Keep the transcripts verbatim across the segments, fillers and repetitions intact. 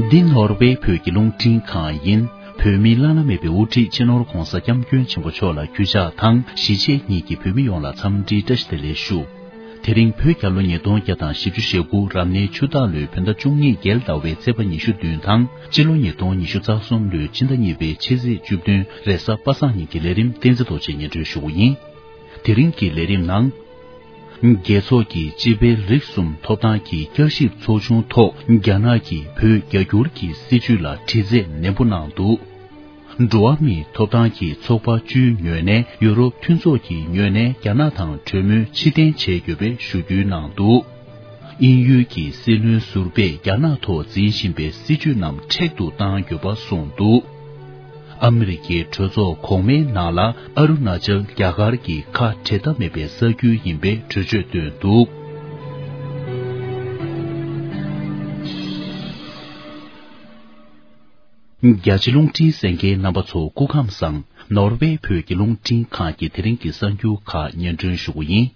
འདི་ནོར་ཝེ་བོད་ཀྱི་རླུང་འཕྲིན་ཁང་ཡིན། བོད་མིའི་བླ་ན་མེད་པའི་དབུ་ཁྲིད་སྤྱི་ནོར་༧གོང་ས་༧སྐྱབས་མགོན་ཆེན་པོ་མཆོག་ལ་གུས་ཕྱག་དང་གཞིས་བྱེས་གཉིས་ཀྱི་བོད་མི་ཡོངས་ལ་འཚམས་འདྲིའི་བཀྲ་ཤིས་བདེ་ལེགས་ཞུ། དེ་རིང་བོད་རྒྱལ་ལོ་ཉིས་སྟོང་བརྒྱ་དང་བཞི་བཅུ་ཞེ་དགུ་རབ་གནས་ཆུ་སྟག་ལོའི་བོད་ཟླ་བཅུ་གཉིས་རྒྱལ་ཟླ་བའི་ཚེས་པ་ཉི་ཤུ་བདུན་དང་སྤྱི་ལོ་ཉིས་སྟོང་ཉི་ཤུ་རྩ་གསུམ་ལོའི་ཕྱི་ཟླ་གཉིས་པའི་ཕྱི་ཚེས་བཅུ་བདུན་རེས་གཟའ་པ་སངས་ཉིན་གྱི་ལས་རིམ་བསྟན་འཛིན་རྡོ་རྗེས་སྙན་སྒྲོན་ཞུ་བ་ཡིན། དེ་རིང་གི་ལས་རིམ་ནང་། རྒྱལ་ཚོགས་ཀྱི་སྤྱི་པའི་རིགས་གསུམ་ཐོབ་ཐང་གི་བསྐྱར་ཞིབ་ཚོགས་ཆུང་ཐོག་རྒྱ་ནག་གིས་བོད་རྒྱ་སྒྱུར་གྱི་སྲིད་བྱུས་ལ་དྲི་རྩད་ནན་པོ་གནང་འདུག་འགྲོ་བ་མིའི་ཐོབ་ཐང་གི་ཚོགས་པ་བཅུའི་ངོས་ནས་ཡུ་རོབ་མཐུན་ཚོགས་ཀྱི་ངོས་ནས་རྒྱ་ནག་དང་གྲོས་མོལ་ཕྱིར་འཐེན་བྱས་ཡོད་པའི་ཞུ་སྐུལ་གནང་འདུག་དབྱིན་ཡུལ་གྱི་སྲིད་བློན་ཟུར་པས་རྒྱ་ནག་ཐོག་འཛིན་བཞིན་པའི་སྲིད་བྱུས་རྣམས་མཁྲེགས་ཏུ་བཏང་ཡོད་པ་གསུངས་འདུག་ཨ་མི་རི་ཀའི་གྲོས་ཚོགས་གོང་མའི་ནང་ལ་ཨ་རུ་ན་ཅལ་རྒྱ་གར་གྱི་ཁ་འབྲལ་ཐབས་མེད་པའི་ས་ཁུལ་ཡིན་པའི་གྲོས་ཆོད་བཏོན་འདུག་རྒྱ་ཆེ་རླུང་འཕྲིན་གསན་མཁན་རྣམ་པ་ཚོ་སྐུ་ཁམས་བཟང་། ནོར་ཝེ་བོད་ཀྱི་རླུང་འཕྲིན་ཁང་གི་དེ་རིང་གི་གསར་འགྱུར་ཁག་སྙན་སྒྲོན་ཞུ་གི་ཡིན།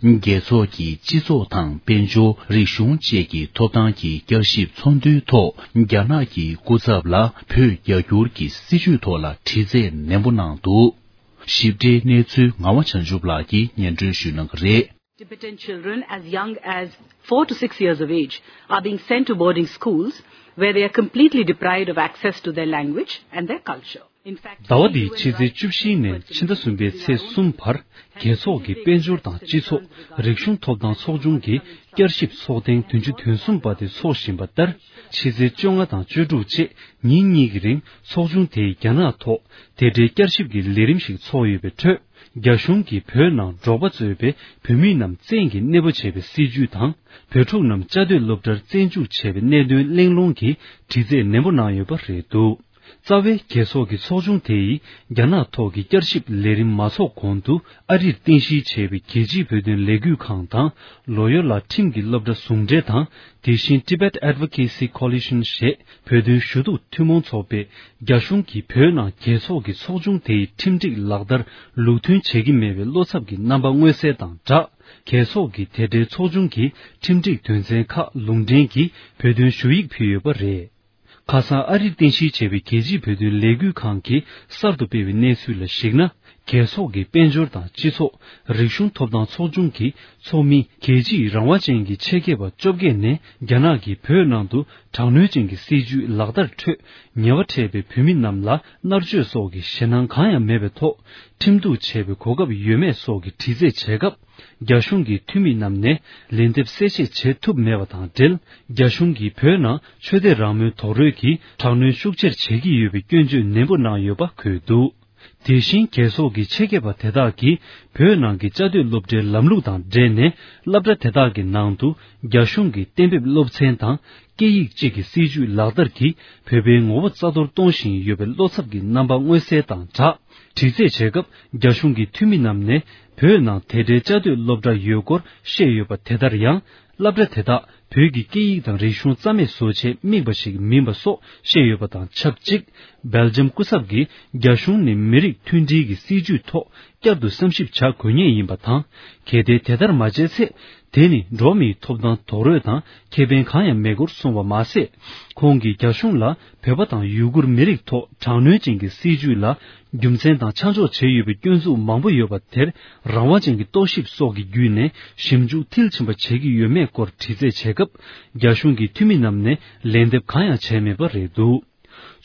རྒྱལ་ཚོགས་ཀྱི་སྤྱི་ཚོགས་དང་དཔལ་འབྱོར། རིག་གཞུང་བཅས་ཀྱི་ཐོབ་ཐང་གི་བསྐྱར་ཞིབ་ཚོགས་འདུའི་ཐོག་རྒྱ་ནག་གི་སྐུ་ཚབ་ལ་བོད་རྒྱ་སྒྱུར་གྱི་སྲིད་བྱུས་ཐོག་ལ་དྲི་རྩད་ནན་པོ་གནང་འདུག་ཞིབ་ཕྲའི་གནས་ཚུལ་ངག་དབང་བྱང་ཆུབ་ལགས་ཀྱིས་སྙན་སྒྲོན་ཞུ་གནང་གི་རེད། Tibetan children as young as four to six years of age are being sent to boarding schools where they are completely deprived of access to their language and their culture. In fact, ཟླ་བ་འདིའ་ཕྱི་ཚེས་བཅུ་བཞི་ནས་ཕྱི་ཟླ་གསུམ་པའི་ཚེས་གསུམ་བར་རྒྱལ་ཚོགས་ཀྱི་དཔལ་འབྱོར་དང་སྤྱི་ཚོགས། རིག་གཞུང་ཐོབ་ཐང་ཚོགས་ཆུང་གི་བསྐྱར་ཞིབ་ཚོགས་ཐེངས་བདུན་ཅུ་དོན་གསུམ་པ་དེ་འཚོགས་བཞིན་པ་ལྟར། ཕྱི་ཚེས་བཅོ་ལྔ་དང་བཅུ་དྲུག་བཅས་ཉིན་གཉིས་ཀྱི་རིང་ཚོགས་ཆུང་དེས་རྒྱ་ནག་ཐོག་དེ་འབྲེལ་བསྐྱར་ཞིབ་ཀྱི་ལས་རིམ་ཞིག་འཚོགས་ཡོད་པའི་ཁྲོད། རྒྱ་གཞུང་གིས་བོད་ནང་འབྲོག་པ་གཙོས་པའི་བོད་མི་རྣམས་བཙན་གྱིས་གནས་སྤོ་བྱས་པའི་སྲིད་བྱུས་དང་། བོད་ཕྲུག་རྣམས་བཅའ་སྡོད་སློབ་གྲྭར་བཙན་འཇུག་བྱས་པའི་གནད་དོན་གླེང་སློང་གིས་དྲི་རྩད་ནན་པོ་གནང་ཡོད་པ་རེད་འདུག་རྩ་བའི་རྒྱལ་ཚོགས་ཀྱི་ཚོགས་ཆུང་དེ་ཡིས་རྒྱ་ནག་ཐོག་གི་བསྐྱར་ཞིབ་ལས་རིམ་མ་འཚོགས་གོང་དུ། ཨ་རིར་རྟེན་གཞི་བྱས་པའི་རྒྱལ་སྤྱིའི་བོད་དོན་ལས་འགུལ་ཁང་དང་། ལོ་ཡོལ་ལ་ཁྲིམས་ཀྱི་སློབ་གྲྭ་ཟུང་འབྲེལ་དང་། དེ་བཞིན་Tibet Advocacy Coalition ཞེས་བོད་དོན་ཞུ་གཏུག་ཐུན་མོང་ཚོགས་པས། རྒྱ་གཞུང་གིས་བོད་ནང་རྒྱལ་ཚོགས་ཀྱི་ཚོགས་ཆུང་དེའི་ཁྲིམས་སྒྲིག་ལག་བསྟར་ལུགས་མཐུན་བྱེད་ཀྱི་མེད་པའི་བློ་འཚབ་ཀྱི་རྣམ་པ་མངོན་གསལ་དང་སྦྲགས། རྒྱལ་ཚོགས་ཀྱིས་དེ་འབྲེལ་ཚོགས་ཆུང་གི་ཁྲིམས་སྒྲིག་དོན་ཚན་ཁག་ལུང་འདྲེན་གྱིས་བོད་དོན་ཞུ་ཡིག་ཕུལ་ཡོད་པ་རེད། ཁ་སང་ཨ་རིར་རྟེན་གཞི་བྱས་པའི་རྒྱལ་སྤྱིའི་བོད་དོན་ལས་འགུལ་ཁང་གིས་གསར་དུ་སྤེལ་བའི་གནས་ཚུལ་ལ་གཞིགས་ན། རྒྱལ་ཚོགས་ཀྱི་དཔལ་འབྱོར་དང་སྤྱི་ཚོགས། རིག་གཞུང་ཐོབ་ཐང་ཚོགས་ཆུང་གི་ཚོགས་མི། རྒྱལ་སྤྱིའི་རང་དབང་ཅན་གྱི་ཆེད་མཁས་པ་བཅོ་བརྒྱད་ནས། རྒྱ་ནག་གིས་བོད་ནང་དུ་དྲག་གནོན་ཅན་གྱི་སྲིད་བྱུས་ལག་བསྟར་ཁྲོད་ཉེས་པ་འཕྲད་པའི་བོད་མི་རྣམས་ལ་མནར་གཅོད་སོགས་ཀྱི་ཞེད་སྣང་གང་ཡང་མེད་པའི་ཐོག་ཁྲིམས་གཏུག་བྱེད་པའི་གོ་སྐབས་ཡོད་མེད་སོགས་ཀྱི་དྲི་རྩད་བྱེད་སྐབས། རྒྱ་གཞུང་གི་འཐུས་མི་རྣམས་ནས་ལན་འདེབས་གསལ་བཤད་བྱེད་ཐུབ་མེད་པ་དང་འབྲེལ། རྒྱ་གཞུང་གིས་བོད་ནང་ཆོས་དད་རང་མོས་རྡོག་རོལ་གྱིས་དྲག་གནོན་ཤུགས་ཆེར་བྱེད་ཀྱི་ཡོད་པའི་སྐྱོན་བརྗོད་ནན་པོ་གནང་ཡོད་པ་འཁོད་འདུག་དེ་བཞིན་རྒྱལ་ཚོགས་ཀྱི་ཆེད་མཁས་པ་དེ་དག་གིས་བོད་ནང་གི་བཅའ་སྡོད་སློབ་གྲྭའི་ལམ་ལུགས་དང་འབྲེལ་ནས། སློབ་གྲྭ་དེ་དག་གི་ནང་དུ་རྒྱ་གཞུང་གི་གཏན་འབེབས་སློབ་ཚན་དང་། སྐད་ཡིག་གཅིག་གི་སྲིད་བྱུས་ལག་བསྟར་གྱིས་བོད་པའི་ངོ་བོ་རྩ་གཏོར་གཏོང་བཞིན་ཡོད་པའི་བློ་འཚབ་ཀྱི་རྣམ་པ་མངོན་གསལ་དང་སྦྲགས། དྲི་རྩད་བྱེད་སྐབས། རྒྱ་གཞུང་གི་འཐུས་མི་རྣམས་ནས་བོད་ནང་དེ་འབྲེལ་བཅའ་སྡོད་སློབ་གྲྭ་ཡོད་སྐོར་བཤད་ཡོད་པ་དེ་ལྟར་ཡང་། སློབ་གྲྭ་དེ་དག་བོད་ཀྱི་སྐད་ཡིག་དང་རིག་གཞུང་རྩ་མེད་བཟོ་ཆེད་དམིགས་པ་ཞིག་མིན་པ་སོགས་བཤད་ཡོད་པ་དང་ཆབས་ཅིག་སྦེལ་ཇམ་སྐུ་ཚབ་ཀྱིས་རྒྱ་གཞུང་ནི་མི་རིགས་མཐུན་སྒྲིལ་གྱི་སྲིད་བྱུས་ཐོག་བསྐྱར་དུ་བསམ་ཞིབ་བྱ་དགོས་ངེས་ཡིན་པ་དང་། གལ་ཏེ་དེ་ལྟར་མ་བྱས་ཚེ། དེ་ནི་འགྲོ་བ་མིའི་ཐོབ་ཐང་རྡོག་རོལ་དང་ཁེ་ཕན་གང་ཡང་མེད་སྐོར་གསུངས་པ་མ་ཟད། ཁོང་གིས་རྒྱ་གཞུང་ལ་བོད་པ་དང་ཡུ་གུར་མི་རིགས་ཐོག་དྲག་གནོན་ཅན་གྱི་སྲིད་བྱུས་ལ་རྒྱུ་མཚན་དང་ཆ་འཇོག་བྱས་ཡོད་པའི་སྐྱོན་འཛུགས་མང་པོ་ཡོད་པ་དེར་རང་དབང་ཅན་གྱི་རྟོག་ཞིབ་སོགས་ཀྱི་བརྒྱུད་ནས་ཞིབ་འཇུག་མཐིལ་ཕྱིན་པ་བྱེད་ཀྱི་ཡོད་མེད་སྐོར་དྲི་རྩད་བྱེད་སྐབས། རྒྱ་གཞུང་གི་འཐུས་མི་རྣམས་ནས་ལན་འདེབས་གང་ཡང་བྱས་མེད་པ་རེད་འདུག་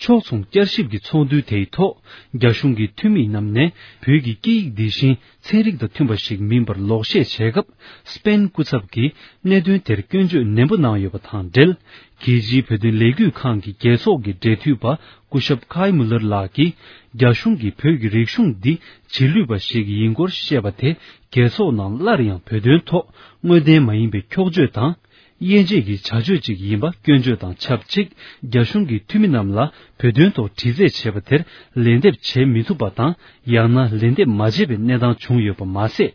ཕྱོགས་མཚུངས་བསྐྱར་ཞིབ་ཀྱི་ཚོགས་འདུ་དེའི་ཐོག་རྒྱ་གཞུང་གི་འཐུས་མི་རྣམས་ནས་བོད་ཀྱི་སྐད་ཡིག་འདི་བཞིན་ཚན་རིག་དང་མཐུན་པ་ཞིག་མིན་པར་ལོག་བཤད་བྱས་སྐབས། སྤེན་སྐུ་ཚབ་ཀྱིས་གནད་དོན་དེར་སྐྱོན་བརྗོད་ནན་པོ་གནང་ཡོད་པ་དང་འབྲེལ། རྒྱལ་སྤྱིའི་བོད་དོན་ལས་འགུལ་ཁང་གི་རྒྱལ་ཚོགས་ཀྱི་འབྲེལ་མཐུད་པ་སྐུ་ཞབས་ཁའི་མུ་ལར་ལགས་ཀྱིས། རྒྱ་གཞུང་གིས་བོད་ཀྱི་རིག་གཞུང་འདི་རྗེས་ལུས་པ་ཞིག་ཡིན་སྐོར་བཤད་པ་དེ། རྒྱལ་ཚོགས་ནང་སླར་ཡང་བོད་དོན་ཐོག་དངོས་བདེན་མ་ཡིན་པའི་འཁྱོག་བརྗོད་དང་། དབྱེ་འབྱེད་ཀྱི་བྱ་སྤྱོད་ཅིག་ཡིན་པ་སྐྱོན་བརྗོད་དང་ཆབས་ཅིག་རྒྱ་གཞུང་གི་འཐུས་མི་རྣམས་ལ་བོད་དོན་ཐོག་དྲི་རྩད་བྱས་པ་དེར་ལན་འདེབས་བྱེད་མི་ཐུབ་པ་དང་། ཡང་ན་ལན་འདེབས་མ་བྱས་པའི་གནས་སྟངས་བྱུང་ཡོད་པ་མ་ཟད།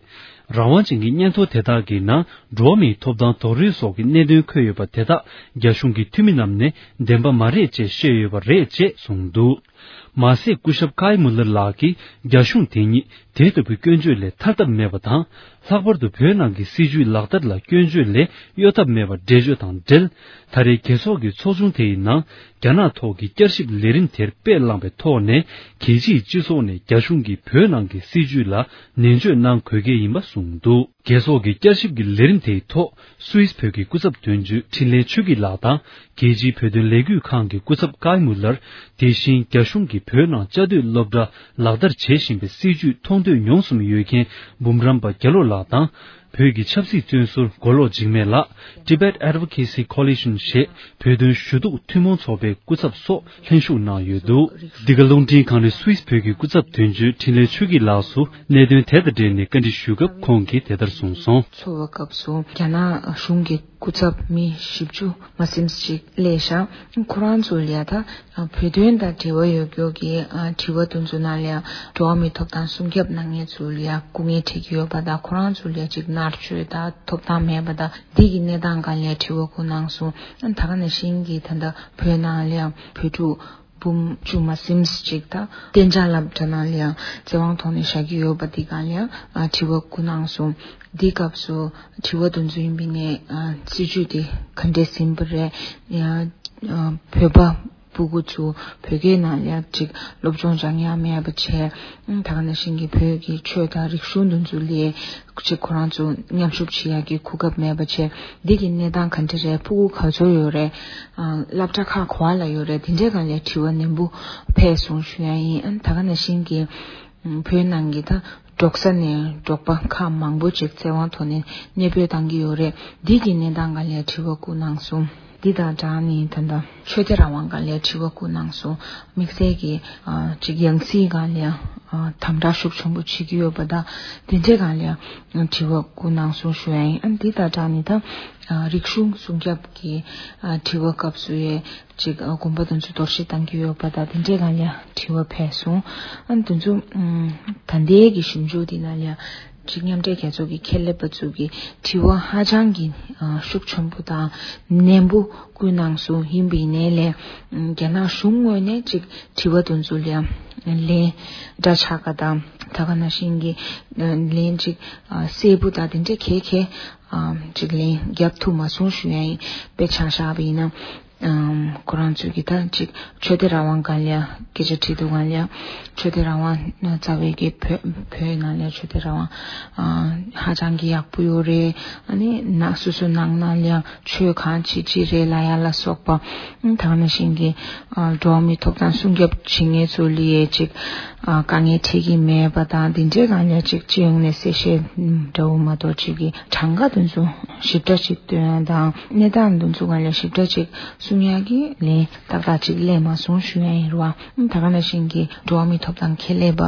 རང་དབང་ཅན་གྱི་སྙན་ཐོ་དེ་དག་གི་ནང་འགྲོ་བ་མིའི་ཐོབ་ཐང་རྡོག་རོལ་སོགས་ཀྱི་གནད་དོན་འཁོད་ཡོད་པ་དེ་དག་རྒྱ་གཞུང་གི་འཐུས་མི་རྣམས་ནས་བདེན་པ་མ་རེད་ཅེས་བཤད་ཡོད་པ་རེད་ཅེས་གསུངས་འདུག་མ་ཟད། སྐུ་ཞབས་ཀའི་མུ་ལར་ལགས་ཀྱིས་རྒྱ་གཞུང་དེ་ཉིད་དེ་ལྟ་བུའི་སྐྱོན་བརྗོད་ལས་ཐར་ཐབས་མེད་པ་དང་། ལྷག་པར་དུ་བོད་ནང་གི་སྲིད་བྱུས་ལག་བསྟར་ལ་སྐྱོན་བརྗོད་ལས་གཡོལ་ཐབས་མེད་པར་འགྲེལ་བརྗོད་དང་འབྲེལ། ད་རེས་རྒྱལ་ཚོགས་ཀྱི་ཚོགས་ཆུང་དེ་ཡི་ནང་རྒྱ་ནག་ཐོག་གི་བསྐྱར་ཞིབ་ལས་རིམ་དེར་དཔེ་བླངས་པའི་ཐོག་ནས། རྒྱལ་སྤྱིའི་སྤྱི་ཚོགས་ནས་རྒྱ་གཞུང་གིས་བོད་ནང་གི་སྲིད་བྱུས་ལ་ནན་བརྗོད་གནང་དགོས་གལ་ཡིན་པ་གསུངས་འདུག་རྒྱལ་ཚོགས་ཀྱི་བསྐྱར་ཞིབ་ཀྱི་ལས་རིམ་དེའི་ཐོག་སུད་སི་བོད་ཀྱི་སྐུ་ཚབ་དོན་གཅོད་འཕྲིན་ལས་ཆོས་སྐྱིད་ལགས་དང་། རྒྱལ་སྤྱིའི་བོད་དོན་ལས་འགུལ་ཁང་གི་སྐུ་ཚབ་ཀའི་མུ་ལར། དེ་བཞིན་རྒྱ་གཞུང་གིས་བོད་ནང་བཅའ་སྡོད་སློབ་གྲྭ་ལག་བསྟར་བྱེད་བཞིན་པའི་སྲིད་བྱུས་མཐོང་ཐོས་མྱོང་གསུམ་ཡོད་མཁན་འབུམ་རམས་པ་རྒྱ་ལོ་ལགས་དང་། བོད་ཀྱི་ཆབ་སྲིད་བཙོན་ཟུར་མགོ་ལོག་འཇིགས་མེད་ལགས། Tibet Advocacy Coalition ཞེས་བོད་དོན་ཞུ་གཏུག་ཐུན་མོང་ཚོགས་པའི་སྐུ་ཚབ་སོགས་ལྷན་ཞུགས་གནང་ཡོད་འདུག་འདི་ག་རླུང་འཕྲིན་ཁང་ནས་སུད་སི་བོད་ཀྱི་སྐུ་ཚབ་དོན་གཅོད་འཕྲིན་ལས་ཆོས་སྐྱིད་ལགས་སུ་གནད་དོན་དེ་དང་འབྲེལ་ནས་བཀའ་འདྲི་ཞུས་སྐབས་ཁོང་གིས་དེ་ལྟར་གསུངས་སོང་། ཚོགས་པ་སྐབས་སུ་རྒྱ་ནག་གཞུང་གི་སྐུ་ཚབ་མི་བཞི་བཅུ་མ་ཟིན་ཅིག་སླེབས་ཤག་ཁོ་རང་ཚོ་ལ་ད་བོད་དོན་དང་འབྲེལ་བ་ཡོད་རྒྱུ་གི་དྲི་བ་དེ་ཚོ་ནང་ལ་འགྲོ་བ་མིའི་ཐོབ་ཐང་སྲུང་སྐྱོབ་གནང་མཁན་ཚོ་ལ་སྐུ་ངལ་འཕྲད་ཀྱི་ཡོད་པ་དང་། ཁོ་རང་ཚོ་ལ་ཅིག་མནར་གཅོད་དང་ཐོབ་ཐང་མེད་པ་དང་། འདི་གི་གནས་སྟངས་སྒང་ལ་དྲི་བ་བསྐུར་གནང་སོང་། ད་ག་ནང་བཞིན་གྱི་ད་ལྟ་བོད་ནང་ལ་བོད་ཕྲུག་འབུམ་བཅུ་མ་ཟིན་ཅིག་ད་གཏན་འཇགས་སློབ་གྲྭ་ནང་ལ་ཡང་བཙན་དབང་ཐོག་ནས་བཞག་གི་ཡོད་པ་འདི་སྒང་ལ་ཡང་དྲི་བ་བསྐུར་གནང་སོང་། འདི་སྐབས་སུ་དྲི་བ་དེ་ཚོ་ཡིན་པ་ཡིན་ནའི་སྲིད་བྱུས་དེ་ག་འདྲས་ཟིན་པ་རེད། ཡང་བོད་པ་སྤུ་གུ་ཚོ་བོད་སྐད་ནང་ལ་ཅིག་སློབ་སྦྱོང་སྦྱང་ཡ་མེད་པ་བྱས། ད་ག་ནང་བཞིན་གྱི་བོད་ཀྱི་ཆོས་དང་རིག་གཞུང་དེ་ཚོ་ལ་ཅིག་ཁོ་རང་ཚོ་མཉམ་ཞུགས་བྱེད་ཡ་གི་གོ་སྐབས་མེད་པ་བྱས། འདི་གི་གནས་སྟངས་ག་འདྲ་རེད། ཕྲུ་གུ་ག་ཚོད་ཡོད་རེད། སློབ་གྲྭ་ཁག་ག་པར་ལ་ཡོད་རེད། དེ་འདྲའི་སྒང་ལ་དྲི་བ་ནན་པོ་ཕེབས་སོང་ཞུ་ཡ་ཡིན། ད་ག་ནང་བཞིན་གྱི་བོད་ནང་གི་ད་འབྲོག་ས་ནས་འབྲོག་པ་ཁག་མང་པོ་ཅིག་བཙན་དབང་ཐོག་ནས་གནས་སྤོས་བཏང་གི་ཡོད་རེད། འདི་གི་གནས་སྟངས་སྒང་ལ་དྲི་བ་བསྐུར་གནང་སོང་། འདི་དང་སྦྲགས་ནས་ད་ལྟ་ཆོས་དད་རང་དབང་སྒང་ལ་དྲི་བ་བསྐུར་གནང་སོང་། དམིགས་བསལ་གྱི་ཅིག་ཡང་སྲིད་སྒང་ལ་དམ་དྲག་ཤུགས་ཆེན་པོ་བྱེད་ཀྱི་ཡོད་པ་དང་། དེ་འདྲའི་སྒང་ལ་དྲི་བ་བསྐུར་གནང་སོང་ཞུ་ཡ་ཡིན། ཨ་འདི་དང་སྦྲགས་ནས་ད་རིག་གཞུང་སྲུང་སྐྱོབ་ཀྱི་དྲི་བ་སྐབས་སུ་ཡ་ཅིག་དགོན་པ་དེ་ཚོ་གཏོར་བཤིག་བཏང་གི་ཡོད་པ་དང་། དེ་འདྲའི་སྒང་ལ་དྲི་བ་ཕེབས་སོང་། ཨ་དེ་ཚོ་ད་ལྟའི་གི་ཞིབ་འཇུག་དེ་ནང་ལ་ཅིག་མཉམ་འབྲེལ་རྒྱལ་ཚོགས་ཀྱི་ཁྱད་ལས་པ་ཚོ་གི་དྲི་བ་ཧ་ཅང་གི་ཤུགས་ཆེན་པོ་དང་ནན་པོ་བསྐུར་གནང་སོང་། ཡིན་པ་ཡིན་ནའི་ལས་རྒྱ་ནག་གཞུང་ངོས་ནས་ཅིག་དྲི་བ་དེ་ཚོ་ལ་ལན་འདྲ་ཆགས་ཀ་དང་། ད་ག་ནང་བཞིན་གྱི་ལན་ཅིག་གསལ་པོ་དང་དེ་འདྲ་གལ་གལ་ཅིག་ལན་རྒྱབ་ཐུབ་མ་སོང་ཞུ་ཡ་ཡིན། དཔེ་ཆ་བཞག་པ་ཡིན་ན། ཁོ་རང་ཚོས་ཀྱི་ད་ཅིག་ཆོས་དད་རང་དབང་སྒང་ལ་སྐད་ཆ་དྲིས་འདུག་ག་ལ། ཆོས་དད་རང་དབང་རྩ་བའི་གི་བོད་བོད་ནང་ལ་ཆོས་དད་རང་དབང་ཧ་ཅང་གི་ཡག་པོ་ཡོད་རེད། ཨ་ནི་ན་སོ་སོ་ནང་ན་ལ་ཆོས་གང་བྱེད་ཅི་རེད་ལབ་ཡ་ལ་སོགས་པ། ད་ག་ནང་བཞིན་གྱི་འགྲོ་བ་མིའི་ཐོབ་ཐང་སྲུང་སྐྱོབ་བྱེད་མཁན་ཚོ་ལ་ཡ་ཅིག་དཀའ་ངལ་འཕྲད་ཀྱི་མེད་པ་དང་། དེ་འདྲའི་སྒང་ལ་ཅིག་སྤྱི་ཡོངས་ནས་གསལ་བཤད་འདྲ་བོ་མ་གཏོགས་ཅིག་གི་གྲངས་ཀ་དེ་ཚོ་ཞིབ་ཕྲ་ཅིག་སྟོན་ཡ་དང་། གནས་སྟངས་དེ་ཚོ་སྒང་ལ་ཞིབ་ཕྲ་ཅིག་གསུང་ཡ་གི་ལན་ཏག་ཏག་ཅིག་སླེབས་མ་སོང་ཞུ་ཡ་ཡིན་རེད་བ། ད་ག་ནང་བཞིན་གྱི་འགྲོ་བ་མིའི་ཐོབ་ཐང་ཁེ་ལས་པ་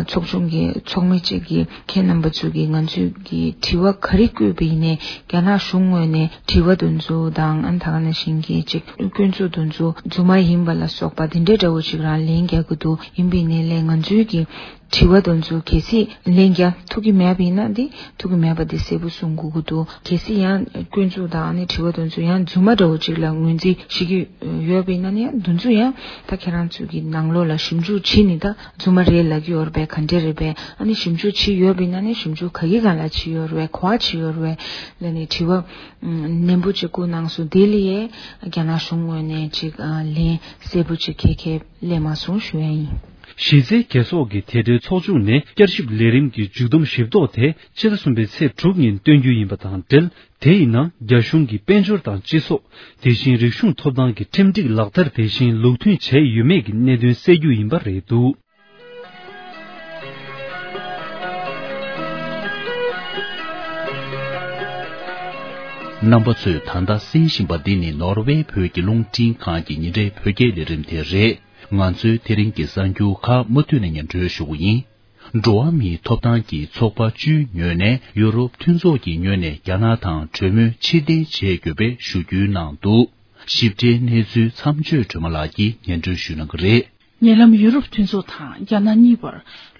ཚོགས་ཆུང་གི་ཚོགས་མི་གཅིག་གིས་ཁྱེད་རྣམ་པ་ཚོ་གིས་ང་ཚོས་ཀྱི་དྲི་བ་ག་རེ་བཀོད་པ་ཡིན་ནའི་རྒྱ་ནག་གཞུང་ངོས་ནས་དྲི་བ་དེ་ཚོ་དང་། ཨ་ད་ག་ནང་བཞིན་གྱི་ཅིག་སྐྱོན་འཛུགས་དེ་ཚོ་རྫུན་མ་ཡིན་པ་ལ་སོགས་པ་དེ་འདྲའི་འདྲ་བོ་ཅིག་རང་ལན་རྒྱག་གི་འདུག་ཡིན་པ་ཡིན་ནའི་ལས་ང་ཚོའི་གི་དྲི་བ་དེ་ཚོ་གལ་སྲིད་ལན་རྒྱག་ཐུབ་ཀྱི་མེད་པ་ཡིན་ན། འདི་ཐུབ་ཀྱི་མེད་པ་འདི་གསལ་པོ་གསུང་དགོས་ཀྱི་འདུག་གལ་སྲིད་ཡང་སྐྱོན་འཛུགས་དང་ཨ་ནི་དྲི་བ་དེ་ཚོ་ཡང་རྫུན་མ་འདྲ་བོ་ཅིག་ལ་ངོས་འཛིན་བྱེད་ཀྱི་ཡོད་པ་ཡིན་ན་ནི། ཡང་དེ་ཚོ་ཡང་ད་ཁྱེད་རང་ཚོ་གི་ནང་ལོགས་ལ་ཞིབ་འཇུག་བྱས་ནས་ད་རྫུན་མ་རེད་ལབ་ཀྱི་ཡོད་རེད་པས། ག་འདྲས་རེད་པས། ཨ་ནི་ཞིབ་འཇུག་བྱས་ཡོད་པ་ཡིན་ན་ནི་ཞིབ་འཇུག་ག་གི་སྒང་ལ་བྱས་ཡོད་རེད་པས། ག་པར་བྱས་ཡོད་རེད་པས་ལབ་ནས་དྲི་བ་ནན་པོ་ཅིག་བསྐུར་གནང་སོང་། དེ་ལ་ཡང་རྒྱ་ནག་གཞུང་ངོས་ནས་ཅིག་ལན་གསལ་པོ་ཅིག་ཁེ་ཁེ་སླེབས་མ་སོང་ཞུ་ཡ་ཡིན། གཞི་རྩའི་རྒྱལ་ཚོགས་ཀྱི་དེ་འབྲེལ་ཚོགས་ཆུང་ནས་བསྐྱར་ཞིབ་ལས་རིམ་གྱི་མཇུག་བསྡོམས་ཞིབ་རྟོག་དེ་ཕྱི་ཟླ་གསུམ་པའི་ཚེས་དྲུག་ཉིན་སྟོན་རྒྱུ་ཡིན་པ་དང་འབྲེལ། དེ་ཡི་ནང་རྒྱ་གཞུང་གི་དཔལ་འབྱོར་དང་སྤྱི་ཚོགས། དེ་བཞིན་རིག་གཞུང་ཐོབ་ཐང་གི་ཁྲིམས་སྒྲིག་ལག་བསྟར་དེ་བཞིན་ལུགས་མཐུན་བྱས་ཡོད་མེད་ཀྱི་གནད་དོན་གསལ་རྒྱུ་ཡིན་པ་རེད་འདུག་རྣམ་པ་ཚོས་ད་ལྟ་གསན་བཞིན་པ་འདི་ནི་ནོར་ཝེ་བོད་ཀྱི་རླུང་འཕྲིན་ཁང་གི་ཉིན་རེའི་བོད་སྐད་ལས་རིམ་དེ་རེད། ང་ཚོའི་དེ་རིང་གི་གསར་འགྱུར་ཁག་མུ་མཐུད་ནས་སྙན་སྒྲོན་ཞུ་གི་ཡིན། འགྲོ་བ་མིའི་ཐོབ་ཐང་གི་ཚོགས་པ་བཅུའི་ངོས་ནས་ཡུ་རོབ་མཐུན་ཚོགས་ཀྱི་ངོས་ནས་རྒྱ་ནག་དང་གྲོས་མོལ་ཕྱིར་འཐེན་བྱེད་དགོས་པའི་ཞུ་སྐུལ་གནང་འདུག་ཞིབ་ཕྲའི་གནས་ཚུལ་མཚམས་གཅོད་སྒྲོལ་མ་ལགས་ཀྱིས་སྙན་སྒྲོན་ཞུ་གནང་གི་རེད། ཉེ་ལམ་ཡུ་རོབ་མཐུན་ཚོགས་དང་རྒྱ་ནག་གཉིས་བར་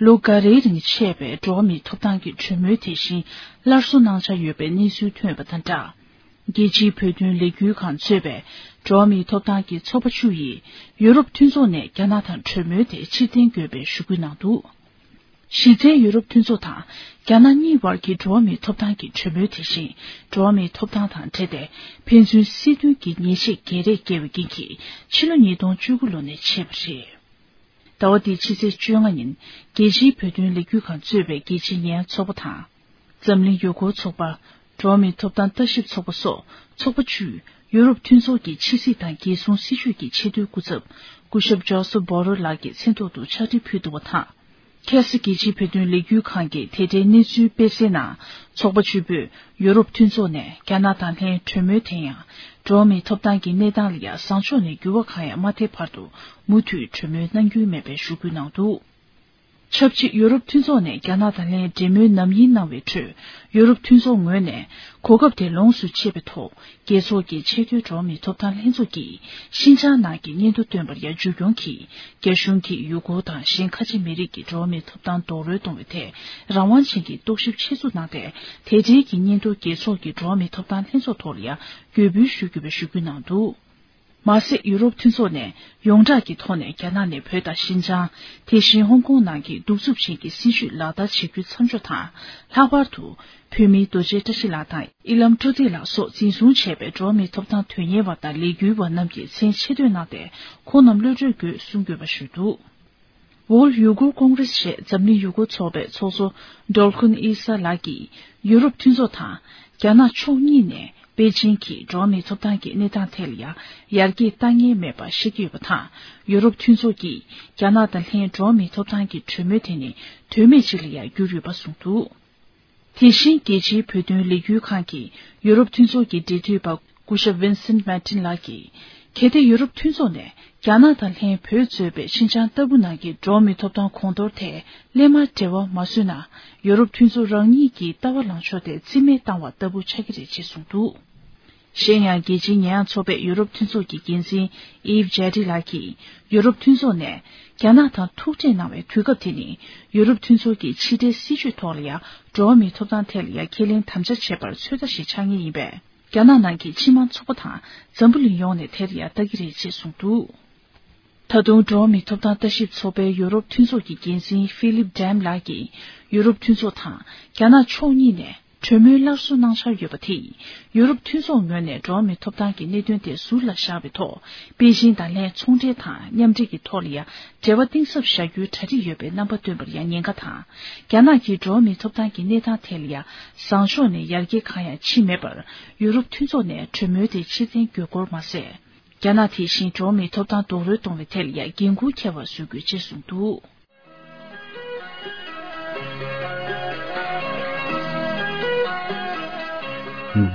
ལོ་འགའ་རེའི་རིང་ཆད་པའི་འགྲོ་བ་མིའི་ཐོབ་ཐང་གི་གྲོས་མོལ་དེ་བཞིན་སླར་གསོ་གནང་འཆར་ཡོད་པའི་གནས་ཚུལ་ཐོན་པ་དང་སྦྲགས། རྒྱལ་སྤྱིའི་བོད་དོན་ལས་འགུལ་ཁང་གཙོས་པའི་འགྲོ་བ་མིའི་ཐོབ་ཐང་གི་ཚོགས་པ་བཅུ་ཡིས་ཡུ་རོབ་མཐུན་ཚོགས་ནས་རྒྱ་ནག་དང་གྲོས་མོལ་དེ་ཕྱིར་འཐེན་དགོས་པའི་ཞུ་སྐུལ་གནང་འདུག་གཞི་རྩའི་ཡུ་རོབ་མཐུན་ཚོགས་དང་རྒྱ་ནག་གཉིས་བར་གྱི་འགྲོ་བ་མིའི་ཐོབ་ཐང་གི་གྲོས་མོལ་དེ་བཞིན་འགྲོ་བ་མིའི་ཐོབ་ཐང་དང་འབྲེལ་ཏེ་ཕན་ཚུན་སྲིད་དོན་གྱི་ཉེས་ཆད་བརྒལ་རེས་བཀལ་བའི་རྐྱེན་གྱིས་ཕྱི་ལོ་ཉིས་སྟོང་བཅུ་དགུ་ལོ་ནས་ཆད་པ་རེད། ཟླ་བ་འདིའི་ཕྱི་ཚེས་བཅོ་ལྔ་ཉིན་རྒྱལ་སྤྱིའི་བོད་དོན་ལས་འགུལ་ཁང་གཙོས་པའི་རྒྱལ་སྤྱིའི་ཉེས་ཡངས་ཚོགས་པ་དང་། འཛམ་གླིང་ཡུལ་སྐོར་ཚོགས་པ། འགྲོ་བ་མིའི་ཐོབ་ཐང་ལྟ་ཞིབ་ཚོགས་པ་སོགས་ཚོགས་པ་བཅུས་ཡུ་རོབ་མཐུན་ཚོགས་ཀྱི་ཕྱི་སྲིད་དང་རྒྱལ་སྲུང་སྲིད་ཇུས་ཀྱི་ཆེས་མཐོའི་སྐུ་ཚབ་སྐུ་ཞབས་ཇོ་སེབ་བྷོ་རེལ་ལགས་ཀྱི་མཚན་ཐོག་ཏུ་ཕྱག་བྲིས་ཕུལ་འདུག་པ་དང་། ཁ་སང་རྒྱལ་སྤྱིའི་བོད་དོན་ལས་འགུལ་ཁང་གིས་དེ་འབྲེལ་གནས་ཚུལ་སྤེལ་གསལ་ནང་། ཚོགས་པ་བཅུ་པོས་ཡུ་རོབ་མཐུན་ཚོགས་ནས་རྒྱ་ནག་དང་ལྷན་གྲོས་མོལ་དེ་ཡང་འགྲོ་བ་མིའི་ཐོབ་ཐང་གི་གནས་སྟངས་ལ་ཡང་བཟང་ཕྱོགས་ནས་འགྱུར་བ་གང་ཡང་མ་ཐེབས་བར་དུ་མུ་མཐུད་གྲོས་མོལ་གནང་རྒྱུ་མེད་པའི་ཞུ་སྐུལ་གནང་འདུག་ཆབས་ཅིག་ཡུ་རོབ་མཐུན་ཚོགས་ནས་རྒྱ་ནག་དང་ལྷན་གྲོས་མོལ་ནམ་ཡིན་གནང་བའི་ཁྲོད། ཡུ་རོབ་མཐུན་ཚོགས་ངོས་ནས་གོ་སྐབས་དེ་ལོངས་སུ་སྤྱད་པའི་ཐོག་རྒྱལ་ཚོགས་ཀྱི་ཆེས་མཐོའི་འགྲོ་བ་མིའི་ཐོབ་ཐང་ལྷན་ཚོགས་ཀྱིས་ཤིན་ཅང་ནང་གི་སྙན་ཐོ་བཏོན་པར་ཡང་མཇུག་སྐྱོང་གིས། རྒྱ་གཞུང་གིས་ཡུ་གུར་དང་གཞན་ཁ་ཆེ་མི་རིགས་ཀྱི་འགྲོ་བ་མིའི་ཐོབ་ཐང་རྡོག་རོལ་གཏོང་བའི་ཐད་རང་དབང་ཅན་གྱི་རྟོག་ཞིབ་ཆེད་འཛུགས་གནང་སྟེ། དེ་འབྲེལ་གྱི་སྙན་ཐོ་རྒྱལ་ཚོགས་ཀྱི་འགྲོ་བ་མིའི་ཐོབ་ཐང་ལྷན་ཚོགས་ཐོག་ལ་ཡང་འགོད་འབུལ་ཞུ་དགོས་པའི་ཞུ་སྐུལ་གནང་འདུག་མ་ཟད། ཡུ་རོབ་མཐུན་ཚོགས་ནས་ཡོངས་གྲགས་ཀྱི་ཐོག་ནས་རྒྱ་ནག་ནས་བོད་དང་ཤིན་ཅང་། དེ་བཞིན་ཧོང་ཀོང་ནང་གི་གདུག་རྩུབ་ཅན་གྱི་སྲིད་བྱུས་ལག་བསྟར་བྱེད་རྒྱུའི་མཚམས་འཇོག་དང་། ལྷག་པར་དུ། བོད་མི་རྡོ་རྗེ་བཀྲ་ཤིས་ལགས་དང་། དབྱི་ལམ་སྤྲོ་བདེ་ལགས་སོགས་འཛིན་བཟུང་བྱས་པའི་འགྲོ་བ་མིའི་ཐོབ་ཐང་དོན་གཉེར་བ་དང་ལས་འགུལ་བ་རྣམས་ཀྱི་མཚན་ཆེད་བཏོན་གནང་སྟེ། ཁོང་རྣམས་གློད་གྲོལ་དགོས་གསུང་དགོས་པ་ཞུས་འདུག World Uyghur Congress ཞེས་འཛམ་གླིང་ཡུ་གུར་ཚོགས་པའི་ཚོགས་གཙོ་ཌོལ་ཁུན་ཨི་ས་ལགས་ཀྱིས། ཡུ་རོབ་མཐུན་ཚོགས་དང་། རྒྱ་ནག་ཕྱོགས་གཉིས་ནས། པེ་ཅིང་གིས་འགྲོ་བ་མིའི་ཐོབ་ཐང་གི་གནས་སྟངས་ཐད་ལ་ཡང་ཡར་རྒྱས་བཏང་མཁན་མེད་པ་བཤད་ཀྱི་ཡོད་པ་དང་། ཡུ་རོབ་མཐུན་ཚོགས་ཀྱིས་རྒྱ་ནག་དང་ལྷན་འགྲོ་བ་མིའི་ཐོབ་ཐང་གི་གྲོས་མོལ་དེ་ནི་དོན་མེད་ཅིག་ལ་ཡང་གྱུར་ཡོད་པ་གསུངས་འདུག་དེ་བཞིན་རྒྱལ་སྤྱིའི་བོད་དོན་ལས་འགུལ་ཁང་གིས་ཡུ་རོབ་མཐུན་ཚོགས་ཀྱི་འབྲེལ་མཐུད་པ་སྐུ་ཞབས་Vincent Martin ལགས་ཀྱིས། གལ་ཏེ་ཡུ་རོབ་མཐུན་ཚོགས་ནས་རྒྱ་ནག་དང་ལྷན་བོད་གཙོས་པའི་ཤིན་ཅང་ལྟ་བུ་ནང་གི་འགྲོ་བ་མིའི་ཐོབ་ཐང་གོང་མཐོར་ཐད་སླད་མར་འབྲེལ་བ་མ་བཟོས་ན། ཡུ་རོབ་མཐུན་ཚོགས་རང་ཉིད་ཀྱི་ལྟ་བ་ལངས་ཕྱོགས་དེ་རྩིས་མེད་བཏང་བ་ལྟ་བུ་ཆགས་ཀྱི་རེད་ཅེས་གསུངས་འདུག་གཞན་ཡང་། རྒྱལ་སྤྱིའི་ཉེས་ཡངས་ཚོགས་པའི་ཡུ་རོབ་མཐུན་ཚོགས་ཀྱི་འགན་འཛིན་ཨིབ་ཇེ་ཏི་ལགས་ཀྱིས། ཡུ་རོབ་མཐུན་ཚོགས་ནས་རྒྱ་ནག་དང་ཐུག་འཕྲད་གནང་བའི་དུས་སྐབས་དེ་ནི། ཡུ་རོབ་མཐུན་ཚོགས་ཀྱི་ཕྱི་འབྲེལ་སྲིད་ཇུས་ཐོག་ལ་ཡང་འགྲོ་བ་མིའི་ཐོབ་ཐང་ཐད་ལ་ཡང་ཁས་ལེན་དམ་བཅའ་བྱེད་པར་ཚོད་ལྟ་ཞིག་ཆགས་ངེས་ཡིན་པས། རྒྱ་ནག་ནང་གི་སྤྱི་དམངས་ཚོགས་པ་དང་འཛམ་བུ་གླིང་ཡོངས་ནས་དེར་ཡང་ལྟ་གི་རེད་ཅེས་གསུངས་འདུག་ད་དུང་འགྲོ་བ་མིའི་ཐོབ་ཐང་ལྟ་ཞིབ་ཚོགས་པའི་ཡུ་རོབ་མཐུན་ཚོགས་ཀྱི་འགན་འཛིན་ཧྥི་ལིབ་ཌེམ་ལགས་ཀྱིས། ཡུ་རོབ་མཐུན་ཚོགས་དང་རྒྱ་ནག་ཕྱོགས་གཉིས་ནས། གྲོས་མོལ་སླར་གསོ་གནང་འཆར་ཡོད་པ་དེས། ཡུ་རོབ་མཐུན་ཚོགས་ངོས་ནས་འགྲོ་བ་མིའི་ཐོབ་ཐང་གི་གནད་དོན་དེ་ཟུར་ལ་བཞག་པའི་ཐོག་པེ་ཅིང་དང་ལྷན་ཚོང་འབྲེལ་དང་མཉམ་འབྲེལ་གྱི་ཐོག་ལ་ཡང་འབྲེལ་བ་གཏིང་ཟབ་བཞག་རྒྱུའི་གྲ་སྒྲིག་ཡོད་པའི་རྣམ་པ་སྟོན་པར་ཡང་ཉེན་ཁ་དང་། རྒྱ་ནག་གིས་འགྲོ་བ་མིའི་ཐོབ་ཐང་གི་གནས་སྟངས་ཐད་ལ་ཡང་བཟང་ཕྱོགས་ནས་ཡར་རྒྱས་གང་ཡང་ཕྱིན་མེད་པར། ཡུ་རོབ་མཐུན་ཚོགས་ནས་གྲོས་མོལ་དེ་ཕྱིར་འཐེན་དགོས་སྐོར་མ་ཟད། རྒྱ་ནག་དེ་བཞིན་འགྲོ་བ་མིའི་ཐོབ་ཐང་རྡོག་རོལ་གཏོང་བའི་ཐད་ལ་ཡང་འགན་འཁུར་འཁྱེར་བར་བཟོ་དགོས་ཅེས་གསུངས་འདུག་